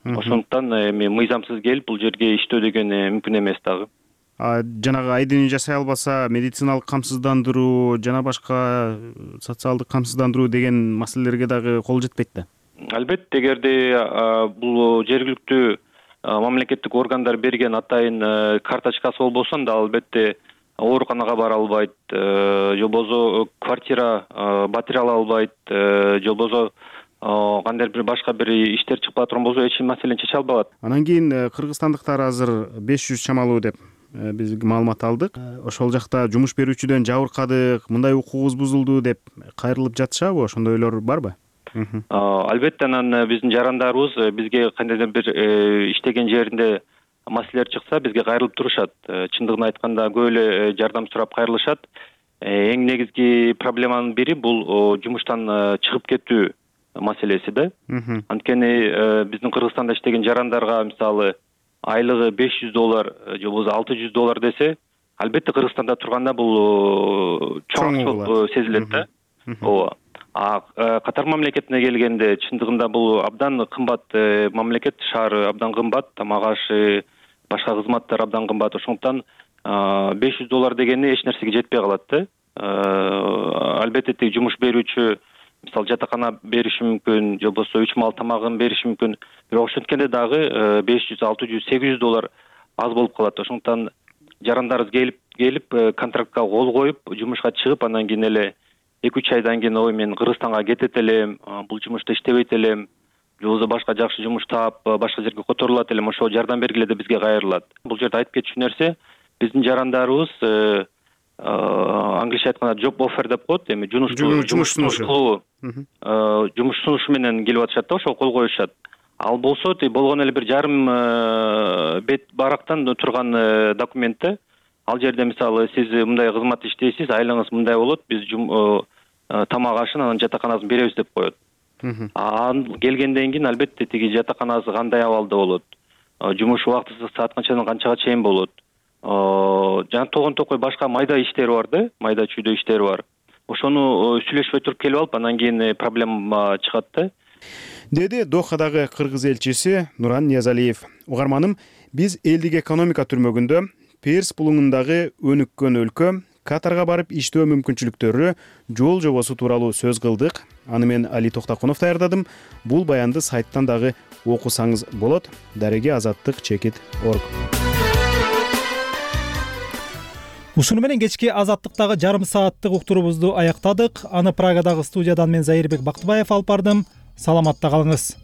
Ошондуктан эми мыйзамсыз келип бул жерге иштөө деген мүмкүн эмес дагы. Жанагы айдын жасай албаса, медициналык камсыздандыруу жана башка социалдык камсыздандыруу деген маселелерге дагы кол жетпейт да. Албетте, эгерде бул жергиликтүү мамлекеттик органдар берген атайын карточкасы болбосо, анда албетте ооруканага бара албайт, же болбосо квартира батире ала албайт, же болбосо кандайдыр бир башка бир иштер чыгып турган болсо, эч маселени чече албай калат. Анан кийин кыргызстандыктар азыр беш жүз чамалуу деп биз маалымат алдык. Ошол жакта жумуш берүүчүдөн жабыркадык, мындай укугубуз бузулду деп кайрылып жатышабы? Ошондойлор барбы? Албетте, анан биздин жарандарыбыз бизге кандайдыр бир иштеген жеринде маселелер чыкса, бизге кайрылып турушат. Чындыгын айтканда көп эле жардам сурап кайрылышат. Эң негизги проблеманын бири бул жумуштан чыгып кетүү маселеси да. Анткени биздин Кыргызстанда иштеген жарандарга мисалы айлыгы беш жүз доллар же болбосо алты жүз доллар десе, албетте Кыргызстанда турганда бул чоң сезилет да. Ооба. А Катар мамлекетине келгенде чындыгында бул абдан кымбат мамлекет, шаар абдан кымбат, тамак ашы, башка кызматтар абдан кымбат. Ошондуктан беш жүз доллар дегени эч нерсеге жетпей калат да. Албетте тиги жумуш берүүчү мисалы жатакана бериши мүмкүн же болбосо үч маал тамагын бериши мүмкүн. Бирок ошенткенде дагы беш жүз алты жүз сегиз жүз доллар аз болуп калат. Ошондуктан жарандарыбыз келип келип контрактка кол коюп жумушка чыгып анан кийин эле эки үч айдан кийин ой мен Кыргызстанга кетет элем, бул жумушта иштебейт элем, же болбосо башка жакшы жумуш таап башка жерге которулат элем, ошого жардам бергиле деп бизге кайрылат. Бул жерде айтып кетчү нерсе, биздин жарандарыбыз англисче айтканда job offer деп коет, эми жумуш жумуш сунушу жумуш сунушу менен келип атышат да, ошого кол коюшат. Ал болсо болгон эле бир жарым бет барактан турган документте. Ал жерде мисалы сиз мындай кызмат иштейсиз, айлыгыңыз мындай болот, биз тамак ашын анан жатаканабызды беребиз деп коет. Анан келгенден кийин албетте тиги жатаканасы кандай абалда болот, жумуш убакыты саат канчадан канчага чейин болот, жана тогон токой башка майда иштери бар да, майда чүйдө иштери бар. Ошону сүйлөшпөй туруп келип алып, анан кийин проблема чыгат да, деди Дохадагы кыргыз элчиси Нуран Ниязалиев. Угарманым, биз элдик экономика түрмөгүндө Перс булуңундагы өнүккөн өлкө Катарга барып иштөө мүмкүнчүлүктөрү жол жобосу тууралуу сөз кылдык. Аны мен Али Токтакунов даярдадым. Бул баянды сайттан дагы окусаңыз болот. Дареги азаттык чекит точка орг. Ушуну менен кечки азаттыктагы жарым сааттык уктуруубузду аяктадык. Аны Прагадагы студиядан мен Зайырбек Бактыбаев алып бардым. Саламатта калыңыз.